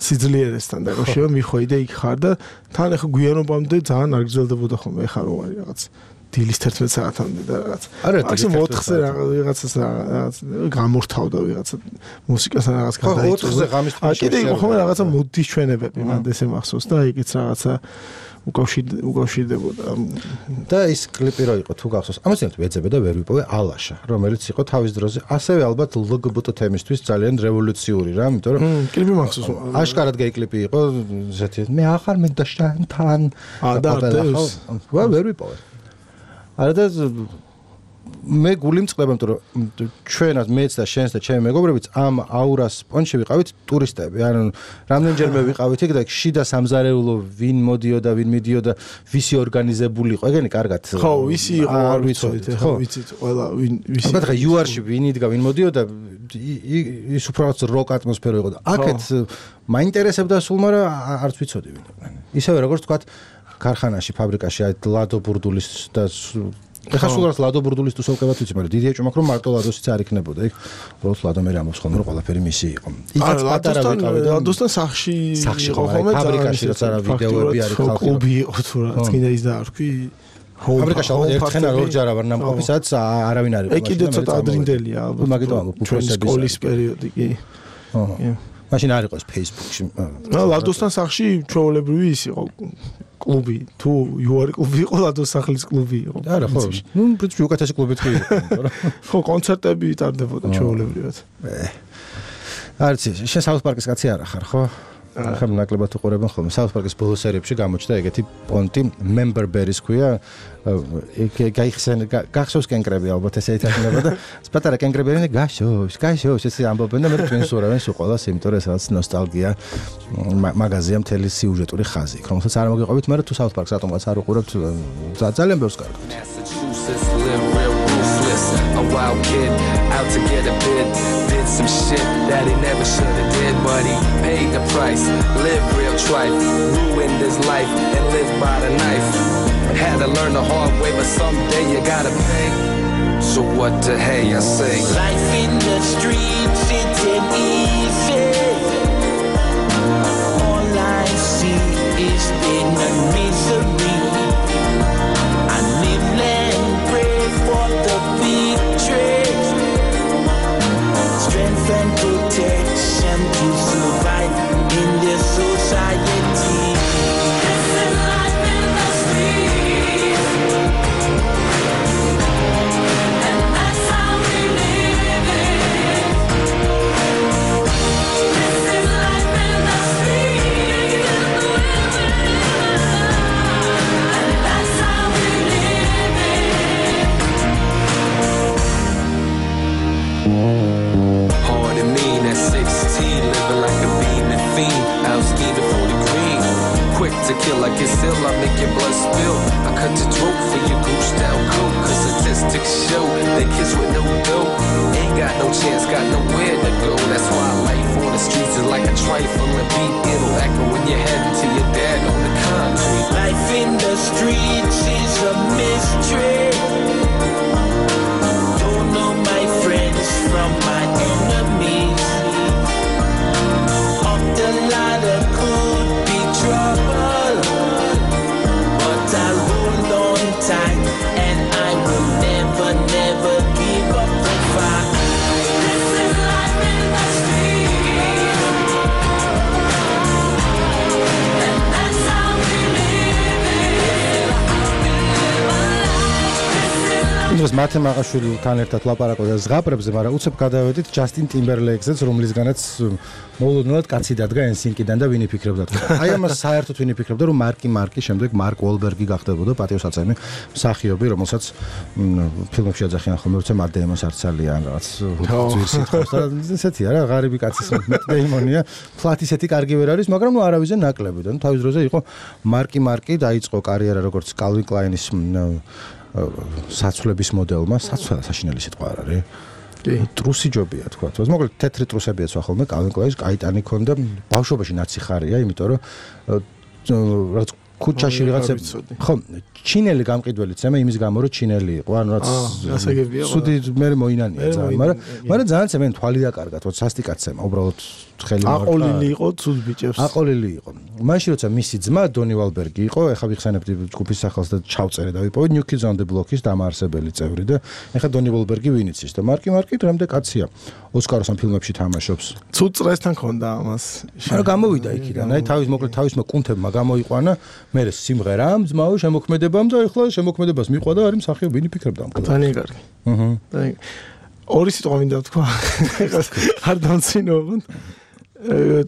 სიძლიერესთან და როშევა მიხვედი და იქ ხარ და თან ახლა გვიანობამდე ძალიან არ გრძელდებოდა ხოლმე ახლა რო არის რაღაც დილის 11 საათამდე და რაღაც მაქსიმუმ 4-ზე რაღაცას რაღაც გამორთავდა ვიღაცა მუსიკასთან რაღაც გადაიწვა 4-ზე ღამის კიდე იყო ხოლმე რაღაცა მოდის ჩვენებები მანდ ესე მახსოვს და იქიც რაღაცა უკავშირდებოდა და ის კლიპი რო იყო თუ გახსოვს ამასთანავე ვეძებე და ვერ ვიპოვე ალაშა რომელიც იყო თავის დროზე ასევე ალბათ ლგბტ თემისთვის ძალიან რევოლუციური რა იმიტომ რომ კლიპი მახსოვს აშკარად გეი კლიპი იყო ზეთი მე ახარ მინდა შენთან და ვერ ვიპოვე არა და მე გული მწყდება იმიტომ რომ ჩვენად მეც და შენს და ჩემი მეგობრებიც ამ აურას პონჩი ვიყავით ტურისტები ანუ რამდენჯერმე ვიყავით იქ და შიდა სამზარეულო ვინ მოდიოდა ვინ მიდიოდა ვისი ორგანიზებული იყო ეგენი კარგად ხო ვისი იყო არ ვიცოდით ხო ვიცით ყველა ვისი და იუარში ვინ იდგა ვინ მოდიოდა ის უფრო რაღაც როკ ატმოსფერო იყო და აქეთ მაინტერესებდა სულ მაგრამ არც ვიცოდი ვინ ისევე როგორც თქვა ქარხანაში ფაბრიკაში აი ლადო ბურდულის და ეხლა სულ რაც ლადო ბურდულის თუ სოკევად ვიცი მაგრამ დიდი ეჭვმა რომ მარტო ლადოსიც არ იქნებოდა იქ უბრალოდ ლადო მე ამბობს ხოლმე რომ ყველაფერი მისი იყო იქაც პატარა ვიყავი და ლადოსთან სახში იყო ხოლმე ფაბრიკაში რაც არა ვიდეოები არის ხალხი კლუბი იყო თუ რაც კიდე ის დაარქვი ფაბრიკაში ერთხელ არ ორჯერ ვარ ნამყოფი სადაც არავინ არ იყო მაშინ კიდე ცოტა ადრინდელია ალბათ მაგიტო ამბობ ჩვენი სკოლის პერიოდი კი მაშინ არ იყო ეს Facebook-ში ლადოსთან სახში ჩვეულებრივი ის იყო კლუბი თუ იუარი კლუბი იყო ლადოს სახლის კლუბი იყო არა ხო ნუ პრინციპი უკეთესი კლუბი თქვი იყო ხო კონცერტები ტარდებოდა ჩვეულებრივად არც შენ საუთ პარკის კაცი არა ხარ ხო ახლა ნაკლებად უყურებენ ხოლმე საუთ პარკის ბოლო სერიებში გამოჩნდა ეგეთი პონტი member berries ქვია გაიხსენ გახსოვს კენკრები ალბათ ესე ითარგმნება და პატარა კენკრები არიან გაშოს ესე ამბობენ და მე ჩვენს ურავენ სულ ყველას იმიტომ რომ სადაც ნოსტალგია მაგაზია მთელი სიუჟეტური ხაზი იქ რომელსაც არ მოგიყვებით მაგრამ თუ საუთ პარკს რატომღაც არ უყურებთ ძალიან ბევრს კარგავთ A wild kid out to get a bid did some shit that he never should have did but he paid the price live real trife ruined his life and lived by the knife had to learn the hard way but someday you gotta pay so what the hey I say life in the streets it ain't easy all I see is enemy fiend, out scheming for the green. Quick to kill, I get still, I make your blood spill. I cut the throat for your goose down coat. Cause statistics show they kids with no dough ain't got no chance, got nowhere to go. That's why life on the streets is like a trifle. A beat, it'll echo when you're heading to your dad on the concrete. Life in the streets is a mystery. Don't know my friends from my enemies. Up the ladder could be trouble, but I'll hold on tight and I will never, never give up the fight. This is life in the street, and that's how we live it. დღეს მათე მაღაშვილთან ერთად ლაპარაკობდა ზღაპრებზე, მაგრამ უცებ გადავედით ჯასტინ ტიმბერლეიკზეც, რომლისგანაც მოულოდნელად კაცი დადგა ენსინკიდან და ვინი ფიქრობდა თქო. აი ამას საერთოდ ვინი ფიქრობდა, რომ მარკი შემდეგ მარკ უოლბერგი გახდებოდა პატივსაცემი მსახიობი, რომელსაც ფილმებში აძახიან ხოლმე, როცა მატ დეიმონს არცალია ან რაღაც ძვირს ითხოვს და ესეთი არა, ღარიბი კაცის მატ დეიმონია, ფლათ ისეთი კარგი ვერ არის, მაგრამ ნუ არავიზე ნაკლები და ნუ თავის დროზე იყო მარკი დაიწყო კარიერა როგორც კალვინ კლაინის საცვლების მოდელმა, საშინელი სიტყვა არ არის. კი, ტრუსი ჯობია თქვა. მოკლედ თეთრი ტრუსებია ხოლმე კალვინ კლაინის კაიტანი ქონდა, ბავშვობაში ნაცი ხარია, იმიტომ რომ რაც ქუჩაში რაღაცები ხო ჩინელი გამყიდველიც ემა იმის გამო რომ ჩინელი იყო ანუ რაც სუდი მე მოინანია ძალიან მაგრამ ძალიან ცემენ თვალი დაკარგა თქო სასტიკაც ემა უბრალოდ ხელი მარტო აყოლილი იყო ცუდ ბიჭებს აყოლილი იყო მაშინ როცა მისი ძმა დონი ვალბერგი იყო ეხლა ვიხსენებდი ჯგუფის სახელს და ჩავწერე და ვიპოვე New Kids on the Block-ის დამაარსებელი წევრი და ეხლა დონი ვალბერგი ვინ იცის და მარკი დღემდე კაცია ოსკაროსან ფილმებში თამაშობს ცუდ წრესთან ქონდა ამას არა გამოვიდა იქიდან აი თავისმა კუნთებმა გამოიყვანა მე სიმღერამ ძმაო შემოქმედებამ და ეხლა შემოქმედებას მიყვა და არის მსახიობი ვინი ფიქრობდა ამ ყველაფერს ძალიან კარგი ორი სიტყვა მინდა თქვა არ დამცინოებოდ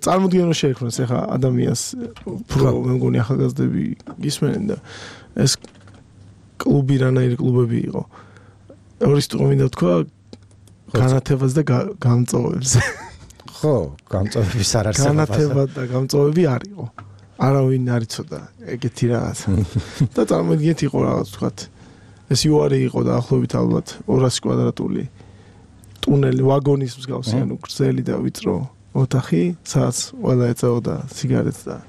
წარმოდგენ რომ შეექმნას ახლა ადამიანს უფრო მე მგონი ახალგაზრდები გისმენენ და ეს კლუბი რანაირი კლუბები იყო ორი სიტყვა მინდა თქვა განათებას და გამწოვებს ხო გამწოვების არ არსებობს განათება და გამწოვები არ იყო არავინ არ იცოდა ეგეთი რაღაც და წარმოგიდგენთ იყო რაღაც თქვა ეს იუარი იყო და ახლობით ალბათ 200 კვადრატული ტუნელი ვაგონის მსგავსი ანუ გრძელი და ვიწრო ოთახი სადაც ყველა ეწეოდა სიგარეტს და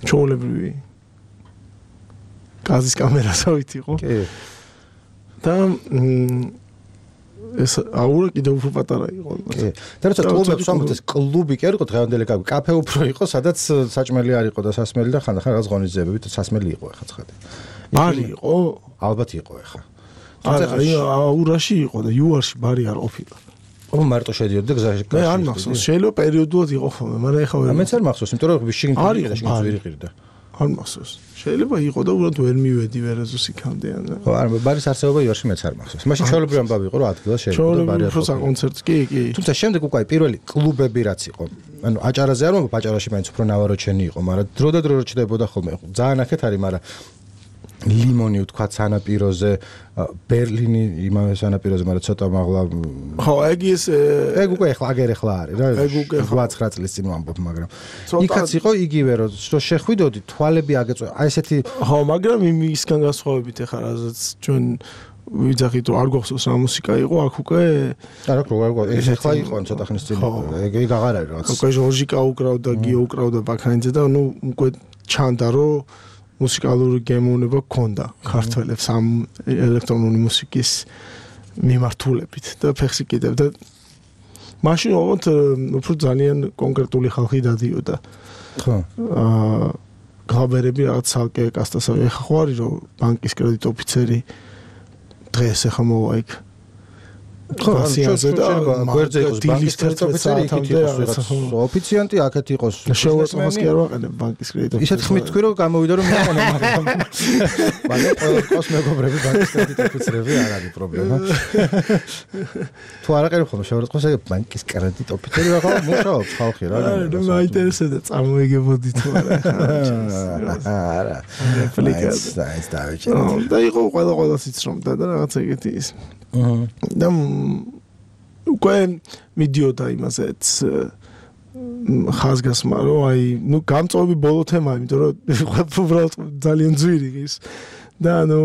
ჩაოლებრივი გაზის კამერასავით იყო კი და ეს აურა კიდევ უფრო პატარა იყო. კი. და როცა კლუბებს ამბობთ ეს კლუბი კი არ იყო დღევანდელი კაფე უფრო იყო, სადაც საჭმელი არ იყო და სასმელი და ხანდახან რაღაც ღონისძიებებით სასმელი იყო ახლა ცხადი. ბარი იყო? ალბათ იყო ახლა. აი აურაში იყო და იუარში ბარი არ ყოფილა. ო მარტო შედიოდა გზაში. მე არ მახსოვს, შეიძლება პერიოდულად იყო ხოლმე, მაგრამ ეხლა ვერ. მეც არ მახსოვს, იმიტომ რომ შიგნით და შიგნით ვერ იყირდა. არ მახსოვს. შეიძლება იყო და უბრალოდ ვერ მივედი ვერაზუს იქამდე ან. ხო, არა, ბარის არსებობა იუარში მეც არ მახსოვს. მაშინ ჩაოლებრივი ამბავი იყო, რომ ადგილას შეიძლება ბარი არ იყო. კონცერტს კი. თუმცა შემდეგ უკვე პირველი კლუბები რაც იყო. ანუ აჭარაზე არ მომბ აჭარაში მაინც უფრო ნავაროჩენი იყო, მაგრამ დრო და დრო რჩდებოდა ხოლმე. ძალიან აქეთ არის, მაგრამ ლიმონი ვთქვა სანაპიროზე ბერლინი იმავე სანაპიროზე მაგრამ ცოტა მაღლა ხო ეგ ის ეგ უკვე ახლა არის რა ეგ უკვე 8-9 წლის წინ ვამბობ მაგრამ იქაც იყო იგივე რომ შეხვიდოდი თვალები აგეწვა აი ესეთი ხო მაგრამ იმისგან გასხოვებით ახლა რაზეც ჩვენ ვიძახით რომ არ გვახსოვს რა მუსიკა იყო აქ უკვე არა როგორ ეს ახლა იყო ცოტა ხნის წინ ეგ აღარ არის რაღაც უკვე ჟორჟიკა უკრავდა გიო უკრავდა ბაქანიძე და ნუ უკვე ჩანდა რომ მუსიკალური გემოვნება გქონდა ქართველებს ამ ელექტრონული მუსიკის მიმართულებით და ფეხსი კიდევ და მაშინ ოღონდ უფრო ძალიან კონკრეტული ხალხი დადიოდა ხო გაბერები რაღაც ცალკე კასტასავე ხა ხო არის რომ ბანკის კრედიტ ოფიცერი დღეს ახლა მოვა იქ ხო ასიაზე და გვერდზე იყოს ბანკის კრედიტ ოფიცერი იქით იყოს ოფიციანტი აქეთ იყოს შეუწყოს კი არ ვაყენებ ბანკის კრედიტ ოფიცერი ისეთ ხმით თქვი რომ გამოვიდა რომ მეყონა მაგრამ ყველა ყოს მეგობრები ბანკის კრედიტ ოფიცერები არ არის პრობლემა თუ არ აყენებ ხოლმე შეუწყოს ბანკის კრედიტ ოფიცერი ვაღა მუშაობს ხალხი რა არა მაინტერესებდა წარმოიგებოდი თუ არა და იყო ყველას იცრომდა და რაღაც ეგეთი ის და უკვე მიდიოდა იმასეც ხაზგასმა რომ აი ნუ გამწოვები ბოლო თემაა იმიტომ რომ უბრალოდ ძალიან ძვირი ის და ნუ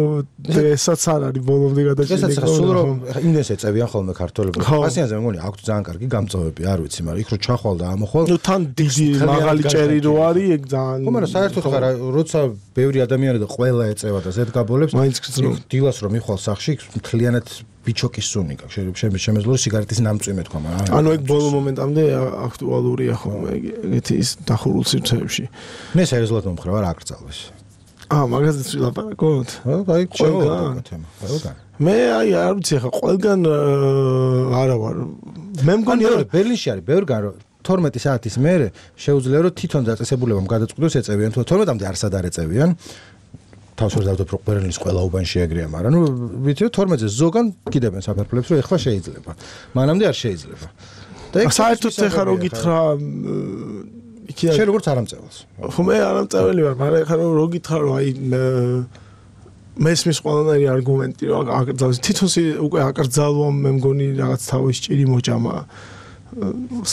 ესაც არ არის ბოლომდე გადაჭრილი ესაც სულ რომ იმდენს ეწევიან ხოლმე ქართველები პასიანზე მგონი აქვს ძალიან კარგი გამწოვები არ ვიცი მაგრამ იქ რო ჩახვალ და ამოხვალ ნუ თან დიდი მაღალი ჭერი რო არის ეგ ძალიან ხო მაგრამ საერთოდ ხარ როცა ბევრი ადამიანი და ყველა ეწევა და ზედ გაბოლებს მაინც დილას რომ მიხვალ სახში მთლიანად ბიჩოკის სუნი გაქვს შემეძლო სიგარეტის ნამწვიმე თქვა მაგრამ ანუ ეგ ბოლო მომენტამდე აქტუალურია ხოლმე ეგეთი ის დახურულ სივრცეებში მე სერიოზულად მომხრა ვარ აკრძალვის მაგაზეც ვილაპარაკოთ აი ყველგან თემა ყველგან მე აი არ ვიცი ხა ყველგან არა ვარ მე მგონი რომ ბერლინში არის ბევრგან რომ 12 საათის მერე შეუძლია რომ თვითონ დაწესებულებამ გადაწყვიტოს ეწევიან თუ 12-მდე არსად არ ეწევიან თავს ვერ დავდებ რომ ბერლინის ყველა უბანში ეგრეა მაგრამ ნუ ვიცი 12-ზე ზოგან გიდებენ საფერფლებს რომ ეხლა შეიძლება მანამდე არ შეიძლება და ეგ საერთოდ ეხლა რო გითხრა შენ როგორც არამწეველს ხო მე არამწეველი ვარ მაგრამ ეხლა რო გითხრა რომ აი მესმის ყველანაირი არგუმენტი რომ აკრძალოს თვითონ უკვე აკრძალვა მე მგონი რაღაც თავის ჭირი მოჭამა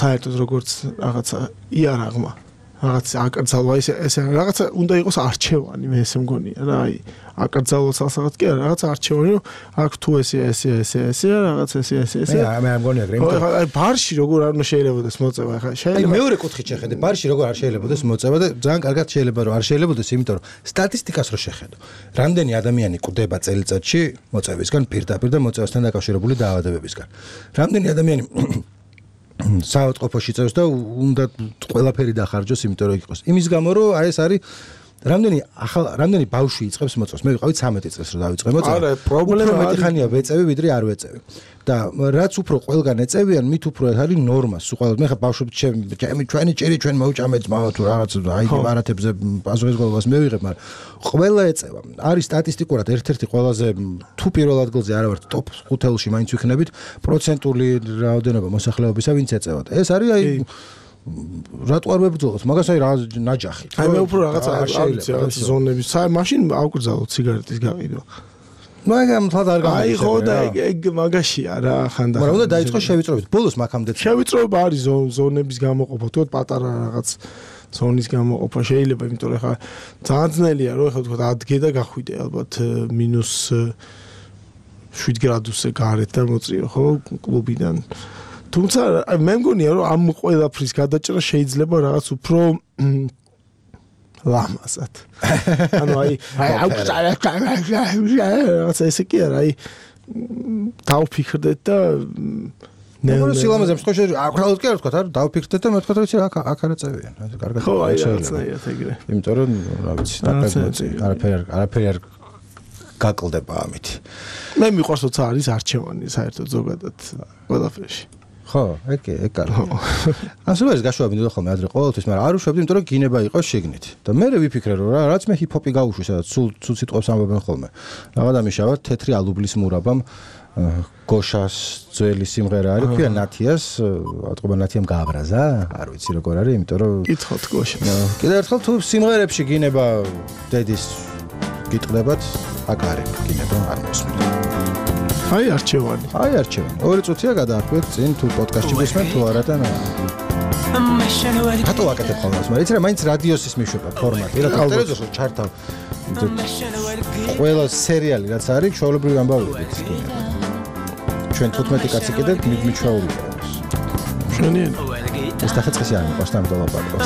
საერთოდ როგორც რაღაცა იარაღმა რაღაც აკრძალვა ეს რაღაცა უნდა იყოს არჩევანი მე ესე მგონია რა აი აკრძალოს ასაღად კი არა რაღაცა არჩევანი რომ აქ თუ ესე რაღაც ესე მე მგონი ეგრე აი ბარში როგორ არ უნდა შეიძლებადეს მოწევა ხა აი მეორე კუთხით შეხედე ბარში როგორ არ შეიძლებადეს მოწევა და ძალიან კარგად შეიძლება რომ არ შეიძლებადეს იმიტომ რომ სტატისტიკას რო შეხედო რამდენი ადამიანი კვდება წელიწადში მოწევისგან პირდაპირ და მოწევასთან დაკავშირებული დაავადებებისგან რამდენი ადამიანი საავადმყოფოში წევს და უნდა ყველაფერი დახარჯოს იმიტომ რომ იყოს იმის გამო რომ აი ეს არის რამდენი ბავშვი იწყებს მოწევს მე ვიყავი 13 წელს რომ დავიწყე მოწევა არა პრობლემა მეტი ხანია ვეწევი ვიდრე არ ვეწევი და რაც უფრო ყველგან ეწევიან მით უფრო ეს არის ნორმა სულ ყველა მე ხა ბავშვები ჩვენი ჭერი ჩვენ მოუჭამეთ მამა თუ რაღაც აი ბარათებზე პასუხისმგებლობას მე ვიღებ მაგრამ ყველა ეწევა არის სტატისტიკურად ერთ-ერთი ყველაზე თუ პირველ ადგილზე არა ვარ ტოპ 5-ში მაინც ვიქნებით პროცენტული რაოდენობა მოსახლეობისა ვინც ეწევა და ეს არის აი რატო არ ვებრძოლოთ მაგას აი რა ნაჯახი აი მე უფრო რაღაცა არ ვიცი რაღაც ზონების მაშინ ავკრძალოთ სიგარეტის გაყიდვა მაგრამ თად არ გამიგია აი ხო და ეგ მაგაშია რა ხანდა მაგრამ უნდა დაიწყოს შევიწროებით ბოლოს მაგამდე შევიწროება არის ზონების გამოყოფა თუ პატარა რაღაც ზონის გამოყოფა შეიძლება იმიტომ რომ ხა ძალიან ძნელია რომ ხა თქვა ადგე და გახვიდე ალბათ -7 გრადუსზე გარეთ და მოწიო ხო კლუბიდან თუმცა მე მგონია რომ ამ ყველაფრის გადაჭრა შეიძლება რაღაც უფრო ლამაზად ანუ აი ესე კი არა აი დავფიქრდეთ და ნუ სილამაზე მსხვერპლი აკრალოთ კი არ ვთქვა რა დავფიქრდეთ და მე ვთქვა რომ აქ არ ეწევიან კარგად ხო აი რაღაცნაირად ეგრე იმიტომ რომ რა ვიცი არაფერი არ გაკლდება ამით მე მიყვარს როცა არის არჩევანი საერთოდ ზოგადად ყველაფერში ხო, ეგ კარგი. ასე ვერ გაშვება მინდოდა ხოლმე ადრე ყოველთვის, მაგრამ არ უშვებდი, იმიტომ რომ გინება იყოს შეგნით. და მე ვიფიქრე რომ რაც მე ჰიპ-ჰოპი გავუშვი, სადაც სულ სიტყვებს ამბობენ ხოლმე. რაღაც ამიშავა თეთრი ალუბლის მურაბამ გოშას ძველი სიმღერა არის, ქვია ნათიას, ატყობა ნათიამ გააბრაზა, არ ვიცი როგორ არის, იმიტომ რომ კითხოთ გოშა. კიდევ ერთხელ თუ სიმღერებში გინება დედის გიტყდებათ, აქ არის გინება არ მოსმით. აი არჩევანი. ორი წუთია გადაახვიეთ წინ თუ პოდკასტში გისმენთ თუ არა და რატო ვაკეთებ ხოლმე მას? მაგრამ იცი რა მაინც რადიოსის მიშვება ფორმატი რა ტელევიზორში ჩართავ. ყველა სერიალი რაც არის ჩვეულებრივი ამბავია. ჩვენ 15 კაცი კიდე მიჩვეულია. შენიან. ეს დახეცესი არ მიყვარს და მიდოლაპარაკო.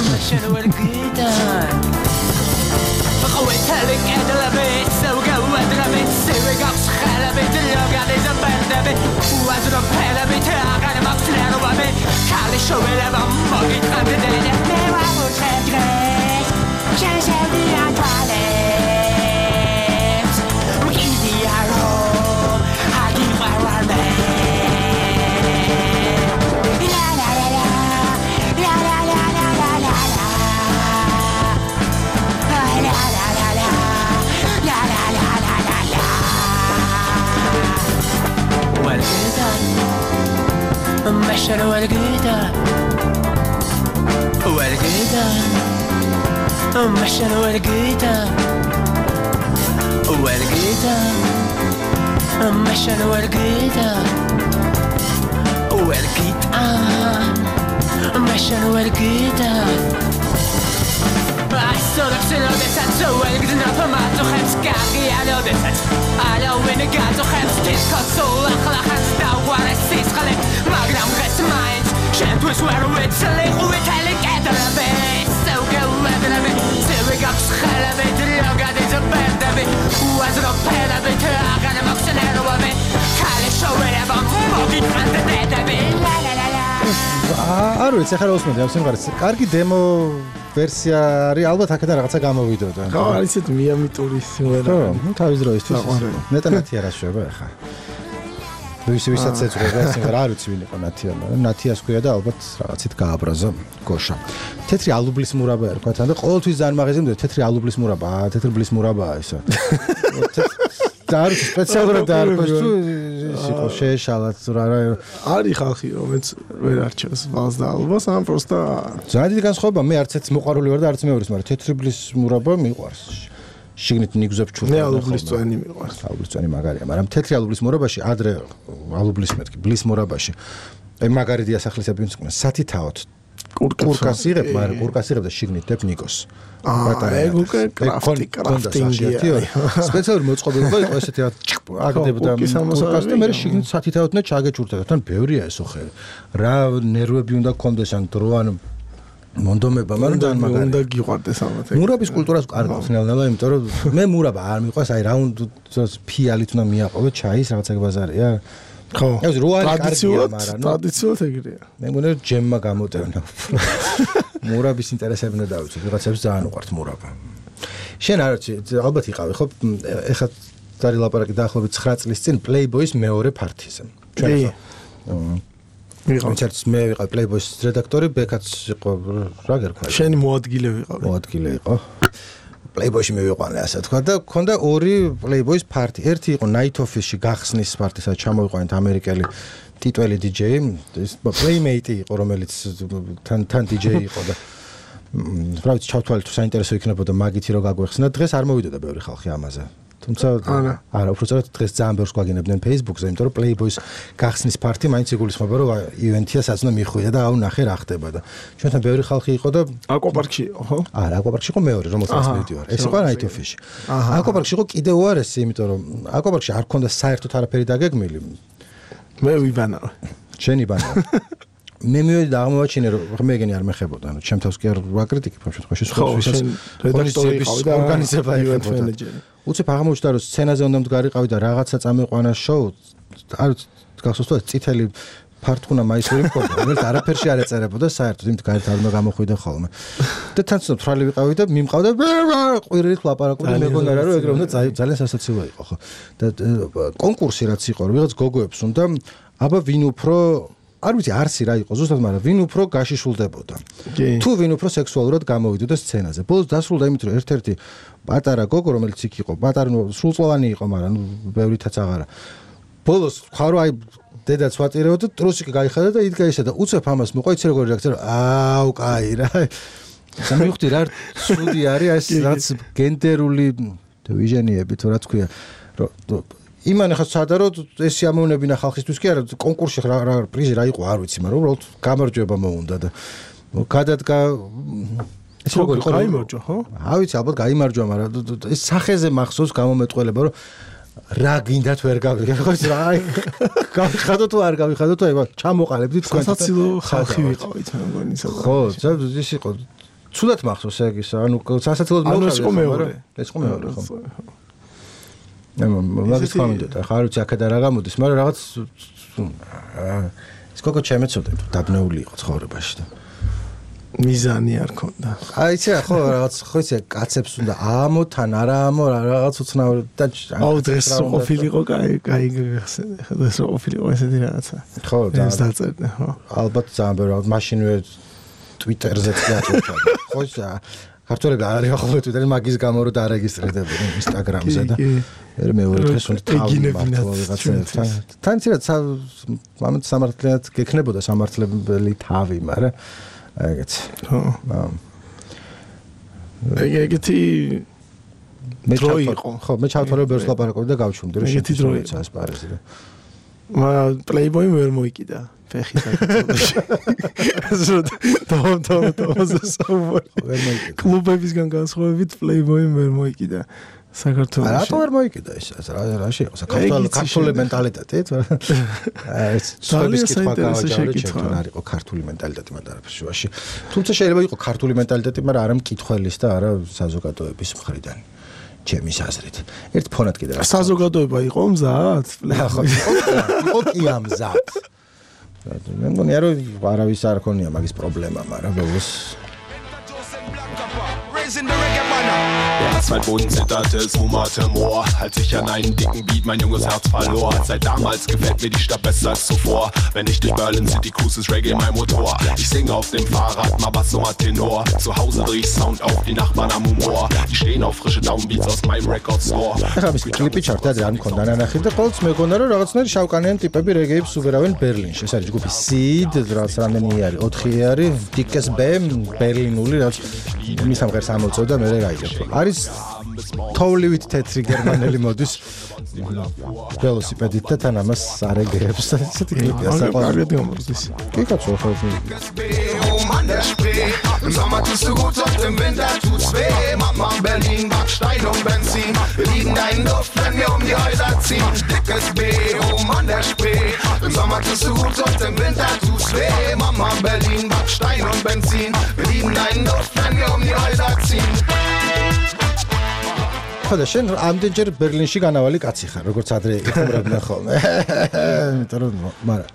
مشر والقيدة والقيدة مشر والقيدة والقيدة مشر والقيدة والقيدة მე შენ ვერ გიტან I saw the sin of this and so well good enough for my to have scary I know this I know when it got to have this console la has now what I see skale magnum rest mind shen to swear with silly with tell get the best so go let me see we got skale with look at this band of it was no pen of it I got a motion of it kale show whatever movie and the dead la la la არ ვიცი ახლა უსმენდი ამ სიმღერას კარგი დემო ვერსია არის ალბათ აქედან რაღაცა გამოვიდოდა ხო არის ეს მიამიტური სიმღერა ხო თავის დროისთვის ნეტანათია რა შევა ახლა ვისაც ეძღება სიმღერა არ ვიცი ვინ იყო ნათია მაგრამ ნათიას ქვია და ალბათ რაღაცით გააბრაზა გოშა თეთრი ალუბლის მურაბა ერქვა თან და ყოველთვის ძალიან მაღაზიამდე თეთრი ალუბლის მურაბა თეთრი ბლის მურაბაა ისა და არის სპეციალურად დაარქვეს თუ იყო შეეშალათ რა არის ხალხი რომელიც ვერ არჩევს ვალს და ალბას ან პროსტა ძალიან დიდი განსხვავება მე არც ერთი მოყვარული ვარ და არც მეორის მაგრამ თეთრი ბლის მურაბა მიყვარს შიგნით ნიგზებს ჩურდა მე ალუბლის წვენი მიყვარს ალუბლის წვენი მაგარია მაგრამ თეთრი ალუბლის მურაბაში ადრე ალუბლის მეთქი ბლის მურაბაში აი მაგარი დიასახლისები ვინც სათითაოთ კურკას იღებ მაგრამ კურკას იღებ და შიგნით დებ ნიკოს პატარა ეგ უკვე კრაფტინგია სპეციალური მოწყობილობა იყო ესეთი აგდებდა კურკას და მე შიგნით სათითაოთნა ჩაგეჭურდა თან ბევრია ესო ხე რა ნერვები უნდა გქონდეს ან დრო ან მონდომება მაგრამ ძალიან მაგარი უნდა გიყვარდეს ამათ მურაბის კულტურას კარგი ხნელნელა იმიტომ რომ მე მურაბა არ მიყვარს აი რა უნდა ფიალით უნდა მიაყოლო ჩაის რაღაცა ბაზარია ხო ეს რო არის კარგია მაგრამ ტრადიციულად ეგრეა მე მგონია ჯემმა გამოტევნა მურაბის ინტერესები უნდა დავიცოთ ვიღაცებს ძალიან უყვართ მურაბა შენ არ ვიცი ალბათ იყავი ხო ეხლა ძალიან ლაპარაკი დაახლოებით 9 წლის წინ Playboy-ის მეორე ფარტიზე ჩვენ ვიყავით მე ვიყავ Playboy-ის რედაქტორი ბეკაც იყო რა გერქვა შენი მოადგილე ვიყავი მოადგილე იყო Playboy-ში მივიყვანე ასე თქვა და ქონდა ორი Playboy-ის ფარტი. ერთი იყო Night Office-ში გახსნის ფარტი, სადაც ჩამოვიყვანეთ ამერიკელი ტიტველი DJ, Playmate იყო, რომელიც თან DJ იყო და რა ვიცი, ჩავთვალე თუ საინტერესო იქნებოდა მაგითი რო გაგვეხსნა. დღეს არ მოვიდოდა ბევრი ხალხი ამაზე. თუმცა არა, უბრალოდ დღეს ძალიან ბევრს გვაგინებდნენ Facebook-ზე, იმიტომ რომ Playboy-ის გახსნის ფარტი მაინც იგულისხმება, რომ ივენთია სადაც უნდა მიხვიდე და აუ ნახე რა ხდება და ჩვენთან ბევრი ხალხი იყო და აკვაპარკში იყო, ხო? არა, აკვაპარკში იყო მეორე, რომელსაც მივდივარ. ეს იყო Night Office-ში. აკვაპარკში იყო კიდევ უარესი, იმიტომ რომ აკვაპარკში არ ქონდა საერთოდ არაფერი დაგეგმილი. მე ვიბანავ. შენი ბანა. მე მივედი და აღმოვაჩინე რომ მე ეგენი არ მეხებოდა, ანუ ჩემ თავს კი არ ვაკრიტიკებ ამ შემთხვევაში, სხვა რედაქტორი ყავი და ორგანიზება event manager-ი. უცებ აღმოჩნდა რომ სცენაზე უნდა მდგარიყავი და რაღაცა წამიყვანა შოუ, არ გახსოვს თუ წითელი ფარტყუნა მაისური მქონდა, რომელიც არაფერში არ ეწერებოდა საერთოდ, იმით გარეთ არ უნდა გამოხვიდე ხოლმე. და თან ცოტა თვრალი ვიყავი და მიმყავდა ყვირილით ლაპარაკობდი, მეგონა რა რომ ეგრე უნდა ძალიან სასაცილო იყო ხო. და კონკურსი რაც იყო, ვიღაც გოგოებს უნდა აბა ვინ უფრო არ ვიცი არსი რა იყო ზუსტად მაგრამ ვინ უფრო გაშიშულდებოდა თუ ვინ უფრო სექსუალურად გამოვიდოდა სცენაზე ბოლოს დასრულდა იმით რომ ერთ-ერთი პატარა გოგო რომელიც იქ იყო პატარა სრულწლოვანი იყო მაგრამ ბევრითაც აღარა ბოლოს ხარ აი დედაც ვატირებოდა ტრუსიკი გაიხადა და იდგა ისე და უცებ ამას მოყვა იცი როგორი რეაქცია აუ კაი რა სამივხვდი რა სუდი არის ეს რაც გენდერული ვიჟენიები თუ რა თქვია იმან ხა სადარო ეს ამოვნებინა ხალხისთვის კი არა კონკურსში რა პრიზი რა იყო არ ვიცი მაგრამ უბრალოდ გამარჯვება მოუნდა და გადადგა ეს როგორი იყო გაიმარჯვა ხო? არ ვიცი ალბათ გაიმარჯვა მაგრამ ეს სახეზე მახსოვს გამომეტყველება რომ რა გინდათ ვერ გავიგე ხო ის რა გავიხადო თუ არ გავიხადო თუ აი ჩამოყალიბდით თქვენ სასაცილო ხალხი ვიყავით მე მგონი საერთოდ ხო ეს იყო ცუდად მახსოვს ეგ ის ანუ სასაცილოდ მოვყავი ეს იყო მეორე ხო მაგის ხამიდოდა ხარ ვიცი აქედან რა გამოდის მაგრამ რაღაც ეს გოგო ჩემეცოდებ დაბნეული იყო ცხოვრებაში და მიზანი არ ქონდა აი იცი ხო რაღაც ხო იცი კაცებს უნდა აამო თან არა ამო რაღაც უცნაური და აუ დღეს ყოფილიყო კაი დღეს ყოფილიყო ესეთი რაღაცა ხო ეს დაწერდა ხო ალბათ ძალიან ბევრი რაღაც მაშინვე Twitter-ზე წაჭრა ხო ისა ქართველები არ არის ხოლმე Twitter-ზე მაგის გამო რომ დაარეგისტრირდებიან Instagram-ზე და მეორე დღეს უნდა თავი მართლა ვიღაცა თან ცირა მომენტ სამართლიანად გექნებოდა სამართლებელი თავი მაგრამ ეგეც ხო ეგეთი მე ხო მე ჩავთვალე ბევრს ლაპარაკობდი და გავჩუმდი რომ ეგეთი დრო იყო ასპარეზი პლეიბოი ვერ მოიკიდა ფეხი საკუთრებაში კლუბებისგან განსხვავებით პლეიბოი ვერ მოიკიდა საქართველოში რატო ვერ მოიკიდა ეს რა შეიყო ქართული მენტალიტეტით ეს სხვების კითხვა გავაჯავრეთ ჩემთან არ იყო ქართული მენტალიტეტი მატარებაში თუმცა შეიძლება იყოს ქართული მენტალიტეტი მაგრამ არა მკითხველის და არა საზოგადოების მხრიდან ჩემის აზრით ერთ ფონად კიდე საზოგადოება იყო მზად იყო კი ამზად მე მგონია რომ არავის არ ქონია მაგის პრობლემა მაგრამ ბოლოს Ja, zwei Bodenzittertes, Humate, Moor. Als ich an einen dicken Beat mein junges Herz verlor. Seit damals gefällt mir die Stadt besser als zuvor. Wenn ich durch Berlin City cruise, ist Reggae mein Motor. Ich singe auf dem Fahrrad, mal Bass, mal Tenor. Zu Hause dreh ich Sound auf, die Nachbarn am Humor. Die stehen auf frische Downbeats aus meinem Record Store. ეხლა მის კლიპი ჩართა ძალიან მქონდა ნანახი და ყოველთვის მეგონა რომ რაღაცნაირი შავკანიანი ტიპები რეგეებს უღერავენ ბერლინში. ეს არის ჯგუფი Seed, რაც რამდენი არის? 4 არის, Dickes Bam, ბერლინული, რაც მის ამღერს ამოწევდა მე რაიგებ. არის თოვლივით თეთრი გერმანელი მოდის ველოსიპედით და თან ამას არეგებს. ესეთი კლიპია საყვარელი. კი კაცო ხო Im Sommer tust du gut und im Winter tut's weh. Mama Berlin, Backstein und Benzin. Wir lieben deinen Duft, wenn wir um die Häuser ziehen. Dickes B, oben an der Spree. Im Sommer tust du gut und im Winter tut's weh. Mama Berlin, Backstein und Benzin. Wir lieben deinen Duft, wenn wir um die Häuser ziehen. ხოდა შენ ამდენჯერ ბერლინში განავალი კაცი ხარ როგორც ადრე იხმრებდნენ ხოლმე იმიტომ რომ მაგრამ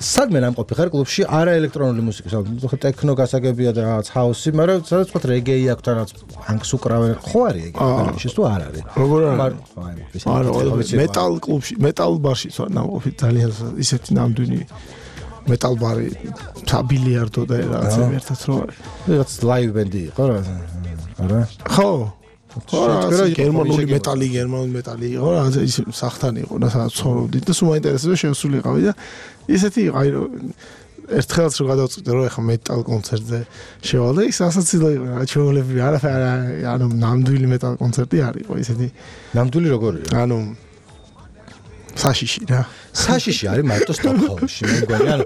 სადმე ნამყოფი ხარ კლუბში არა ელექტრონული მუსიკის ხო ტექნო გასაგებია და რაღაც ჰაუსი მაგრამ სადაც ხო რეგეი აქვს და რაღაც ფანკს უკრავენ ხო არის ეგ ბერლინში თუ არ არის როგორ არის მეტალ კლუბში მეტალ ბარში ვარ ნამყოფი ძალიან ისეთი ნამდვილი მეტალ ბარი ბილიარდო და რაღაცა ერთად რო არის რაღაც ლაივ ბენდი იყო რა არა ხო გერმანული მეტალი იყო რა ის სახთან იყო და სადაც ცხოვრობდით და სულ მაინტერესებდა შევსულიყავი და ისეთი იყო აი ერთხელაც რო გადავწყვიტე რომ ეხა მეტალ კონცერტზე შევალ და ის ასაცილო იყო რა ჩვეულებრივი არაფერი ანუ ნამდვილი მეტალ კონცერტი არ იყო ისეთი ნამდვილი როგორია ანუ საშიში რა საშიში არის მარტო სტოკჰოლმში მე მგონი ანუ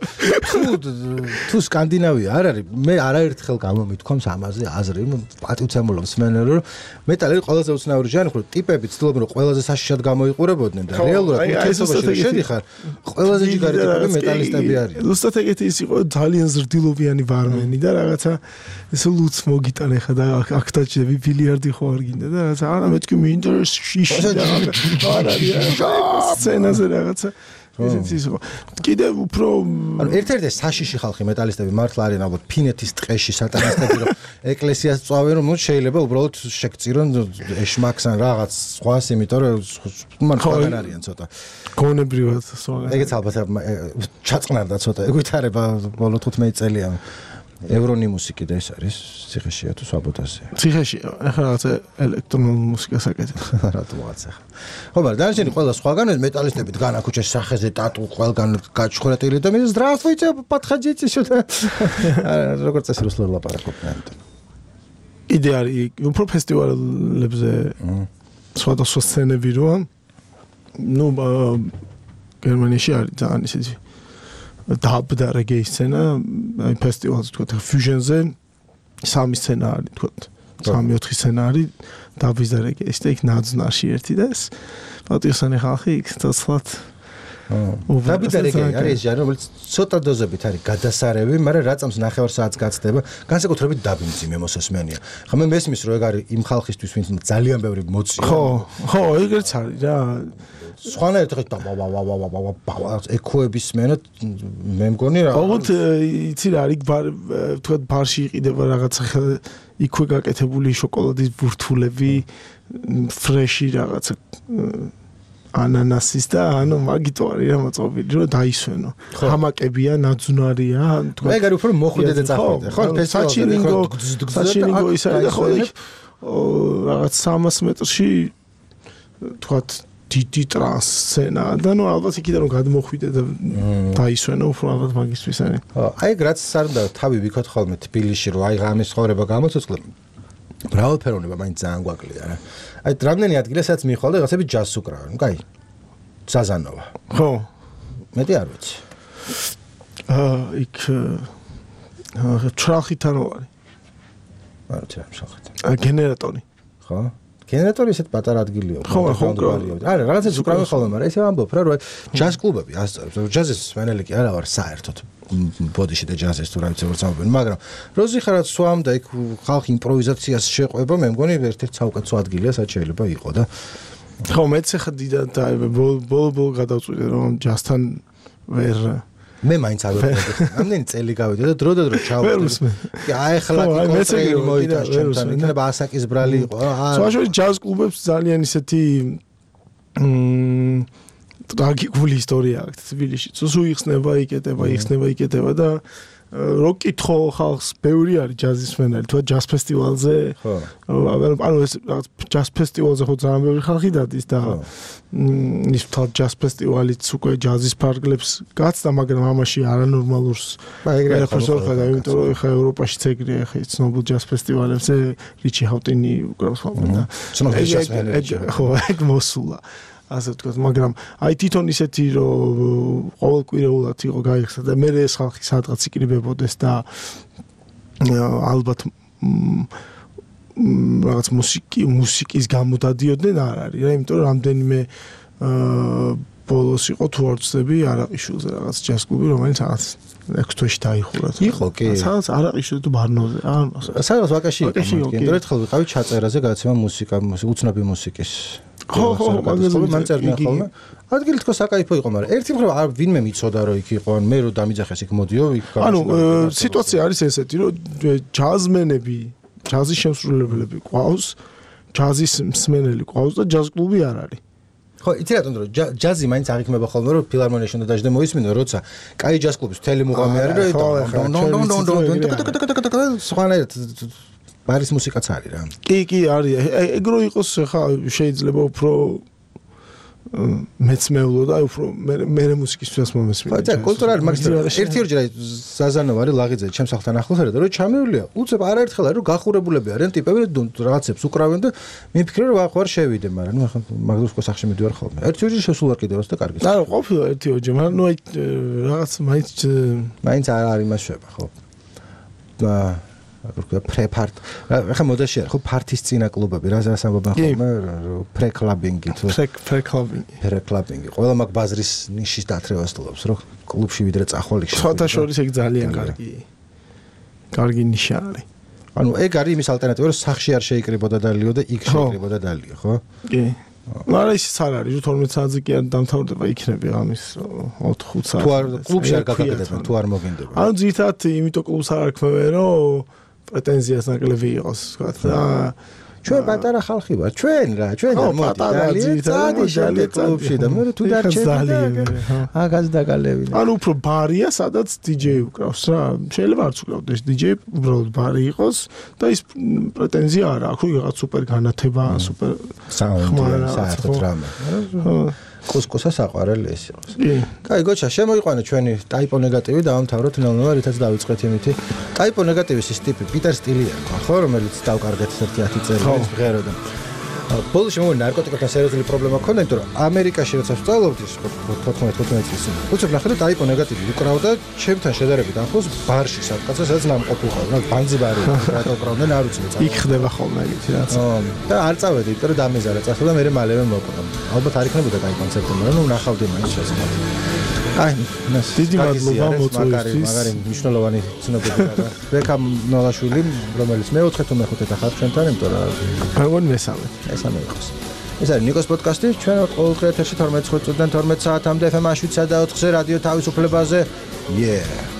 თუ სკანდინავია არ არის მე არაერთხელ გამომითქვამს ამაზე აზრი პატივცემულობს მენე რომ მეტალი ყველაზე უცნაური ჟანრი ხო ტიპები ცდილობენ რომ ყველაზე საშიშად გამოიყურებოდნენ და რეალურად მეთესობაში შედიხარ ყველაზე ჯიგარი ტიპები მეტალისტები არიან ზუსტად ეგეთი ის იყო ძალიან ზრდილობიანი ბარმენი და რაღაცა ეს ლუც მოგიტან ეხა და აქტაჭები ბილიარდი ხო არ გინდა და რაღაცა არა მეთქი მინდა შიში არ არის სცენაზე რაღაცა ისიც ის კიდე უფრო ანუ ერთ-ერთი საშიში ხალხი მეტალისტები მართლა არიან ალბათ ფინეთის ტყეში სატანისტები რომ ეკლესიას წავენ რომ შეიძლება უბრალოდ შეგწირონ ეშმაკს ან რაღაც სხვას იმიტომ რომ მართლა არიან ცოტა გონებრივად სხვაგან ეგეც ალბათ ჩაწყნარდა ცოტა ეკვითარება ბოლო 15 წელია ევრონიმუსი კიდე ეს არის ციხეშია თუ საბოტაზია ციხეშია ახლა რაღაც ელექტრონული მუსიკას აკეთებ რატო რაღაცა ხო მაგრამ დანარჩენი ყველა სხვაგან მეტალისტები დგან აქუჩეს სახეზე ტატუ ყველგან გაჩხრეტილი და მე здравствуйте подходите сюда როგორც წესი რუსულად ლაპარაკობდნენ იდეა არის უფრო ფესტივალებზე სხვადასხვა სცენები როა ნუ გერმანიაში არის ძალიან ისეთი დაბ და რეგეი სცენა აი ფესტივალზე თქვა ფიუჟენზე სამი სცენა არის თქვა 3-4 სცენა არის დაბის და რეგეის და იქ ნაძნარში ერთი და ეს პატიოსანი ხალხი იქ ცოცხლად დაბი და რეგეი არის ჟანრი რომელიც ცოტა დოზებით არის გადასარევი მაგრამ რაწამს 9 საათს გაცდება განსაკუთრებით დაბი მძიმე მოსასმენია ხა მე მესმის რომ ეგ არის იმ ხალხისთვის ვინც ძალიან ბევრი მოცია ხო ეგრეც არის რა სხვანაირად ხეთ ეკოების მენა მე მგონი რა ოღონდ იცი რა არის თქვა ბარში იყიდება რაღაცა იქვე გაკეთებული შოკოლადის ბურთულები ფრეში რაღაცა ანანასის და ანუ მაგიტო არის რა მოწყობილი რომ დაისვენო ჰამაკებია ნაძვნარია თქვა ეგ არის უფრო მოხვიდე და წახვიდე ხო საჩილინგო ის არის და ხო რაღაც 300 მეტრში თქვა დიდი ტრანსცენა და ნუ ალბათ იქიდან რომ გადმოხვიდე და დაისვენო უფრო ალბათ მაგისთვის არის. აი რაც არ უნდა თავი ვიქოთ ხოლმე თბილისში რომ აი ღამის ცხოვრება გამოცოცხლე მრავალფეროვნება მაინც ძალიან გვაკლია რა. აი რამდენი ადგილი სადაც მიხვალ და რაღაცები ჯაზს უკრავენ. კაი. ზაზანოვა. ხო. მეტი არ ვიცი. იქ ჩრალხითანო არის. არ ვიცი რა შეხეთ. გენერატორი. ხო? გენერატორი ისეთ პატარა ადგილია. ხო. არა, რაღაცას უკრავენ ხოლმე, მაგრამ ესე ამბობ რა, რომ ჯაზ კლუბები ასწავლებს. ჯაზის მენელი კი არა ვარ საერთოდ. ბოდიში და ჯაზის თუ რა ვიცი როგორ წამობენ, მაგრამ როზი ხარაც სვამ და იქ ხალხი იმპროვიზაციას შეყვება, მე მგონი ერთ-ერთი საუკეთესო ადგილია, სადაც შეიძლება იყო და ხო, მეც ახლა დიდად ბოლო გადავწყვიტე რომ ჯაზთან ვერ მე მაინც არ ვეფიქრე. ამდენი წელი გავიდა და დრო ჩავდი. აი ახლა კონტროლი მოიტანს ჩემთან. იქნება ასაკის ბრალი იყო. საშუალო ჯაზ კლუბებს ძალიან ისეთი ტრაგიკული ისტორია აქვს თბილისში. სულ იხსნება იკეთება და რო კითხო ხალხს, ბევრი არის ჯაზის მენელი, თუ ჯაზ ფესტივალზე. ხო. ანუ ეს ჯაზ ფესტივალზე ხო ძალიან ბევრი ხალხი დადის და ის ჯაზ ფესტივალიც უკვე ჯაზის ფარგლებს გაცდა, მაგრამ ამაში არანორმალურს ერახოს ხოდა, იმიტომ რომ ხა ევროპაშიც ეგრეა, ხა ცნობილ ჯაზ ფესტივალებზე რიჩი ჰაუტინი უკრავს ხოლმე. ცნობილი ჯაზ მენელი. ხო, ეგ მოსულა. ასე ვთქვათ, მაგრამ აი თვითონ ისეთი რომ ყოველკვირეულად იყო გაიხსნა და მე ეს ხალხი სადღაც იკრიბებოდეს და ალბათ რაღაც მუსიკის გამოდადიოდნენ არ არის რა, იმიტომ რომ რამდენიმე ბოლოს იყო თუ არ ვცდები არაყიშვილზე რაღაც ჯაზ კლუბი, რომელიც რაღაც 6 თვეში დაიხურა. იყო კი. სადაც არაყიშვილზე თუ ბარნოზე, სადაც ვაკაში იყო. კიდევ ერთხელ ვიყავი ჩაწერაზე გადაცემა უცნობი მუსიკის. ხო, მან წერდა ხოლმე. ადგილი თქო საკაიფო იყო, მაგრამ ერთი მხრივ არ ვინმე მიცოდა რომ იქ იყო, ან მე რომ დამიძახეს იქ მოდიო, იქ ანუ სიტუაცია არის ესეთი, რომ ჯაზმენები, ჯაზის შემსრულებლები ყავს, ჯაზის მსმენელი ყავს და ჯაზ კლუბი არ არის. ხო, იცი რატომ რომ ჯაზი მაინც არ იქნება ხოლმე რომ ფილარმონიაში უნდა დაждე მოისმინო, როცა კაი ჯაზ კლუბის მთელი მუღამი არის რომ სხვანაირად ბარის მუსიკაც არის რა. კი, არის. ეგრო იყოს ხა შეიძლება უფრო მეცმეულო და უფრო მე მუსიკისთვის მომესმინე. ხო, კულტურა არის, მაგრამ ერთი-ორჯერ აი ზაზანოვარი ლაღიძე ჩემს ახალთან ახლოს არის და რომ ჩამევლია, უცებ არაერთხელ არის რომ გახურებულები არიან ტიპები რაღაცებს უკრავენ და მიფიქრე რომ ვარ შევიდე, მაგრამ ნუ ახლა მაგდროსკოს სახში მიდივარ ხოლმე. ერთი-ორჯერ შესულ არ კიდევაც და კარგი. არა, ყოფილა ერთი-ორჯერ, მაგრამ ნუ აი რაღაც მაინც არ არის იმას შვება, ხო. და პრეპარტ. ახლა მოდაში არის ხო ფარტის წინა კლუბები, რას ამბობენ ხოლმე, პრეკლაბინგი თუ პრეკლაბინგი. ყველა მაგ ბაზრის ნიშის დათრევას თლობს, რომ კლუბში ვიდრე წახვალ იქ. სხვათა შორის ეგ ძალიან კარგი ნიშა არის. ანუ ეგ არის იმის ალტერნატივა, რომ სახში არ შეიკრიბოდა დალიო და იქ შეიკრიბოდა დალიო, ხო? კი. მაგრამ ისიც არ არის, 12 საათზე კი არ დამთავრდება იქნები ამის 4-5 საათი. თუ არ კლუბში არ გაგაკეთებენ, თუ არ მოგინდება. ანუ ძირითადად იმიტომ კლუბს არ არქმევენ, რომ პრეტენზიას ნაკლები იყოს, ვთქვათ და ჩვენ პატარა ხალხი ვართ, ჩვენ მოდი ძალიან კლუბში და მე თუ დარჩები აგას დაგალევინე. ანუ უფრო ბარია, სადაც DJ უკრავს რა. შეიძლება არც უკრავდეს DJ, უბრალოდ ბარი იყოს და ის პრეტენზია არ აქვს, რაღაც სუპერ განათება, სუპერ საუნდი, საერთოდ რამე. კუსკუსა საყვარელი ეს იყოს. კაი, გოჩა, შემოიყვანე ჩვენი ტაიპო ნეგატივი, დავამთავროთ ნელ-ნელა, რითაც დავიწყეთ იმითი. ტაიპო ნეგატივის ის ტიპი პიტერ სტილია, ხო, რომელიც დავკარგეთ 1-10 წელი მღეროდა. ბოლოში მოგონი ნარკოტიკებთან სერიოზული პრობლემა ჰქონდა, იმიტომ რომ ამერიკაში როცა ვსწავლობდი 14-15 წლის წინ. უცებ ნახე და ტაიპო ნეგატივი უკრავდა ჩემთან შედარებით ახლოს ბარში სადღაცა, სადაც ნამყოფი ყავდა, ბანძი ბარი, რატო უკრავდნენ არ ვიცი. იქ ხდება ხოლმე ეგეთი რაც. და არ წავედი, იმიტომ რომ დამეზარა წასვლა და მე მალევე მოკვრა. ალბათ არ იქნებოდა კაი კონცერტი, მაგრამ ნუ ნახავდი მაინც შესაძლოა. აი, დიდი მადლობა მოწვევისთვის. მაგარი მნიშვნელოვანი ცნობები და ბეკამ ნოლაშვილი, რომელიც მე-4 თუ მე-5 ხარ ჩვენთან, იმიტომ რომ მეგონი მესამე. ესამე იყოს. ეს არის ნიკოს პოდკასტი, ჩვენ ყოველდღე ეთერში 12 წუთიდან 12 საათამდე FM-ში 7 და 4-ზე რადიო თავისუფლებაზე. Yeah.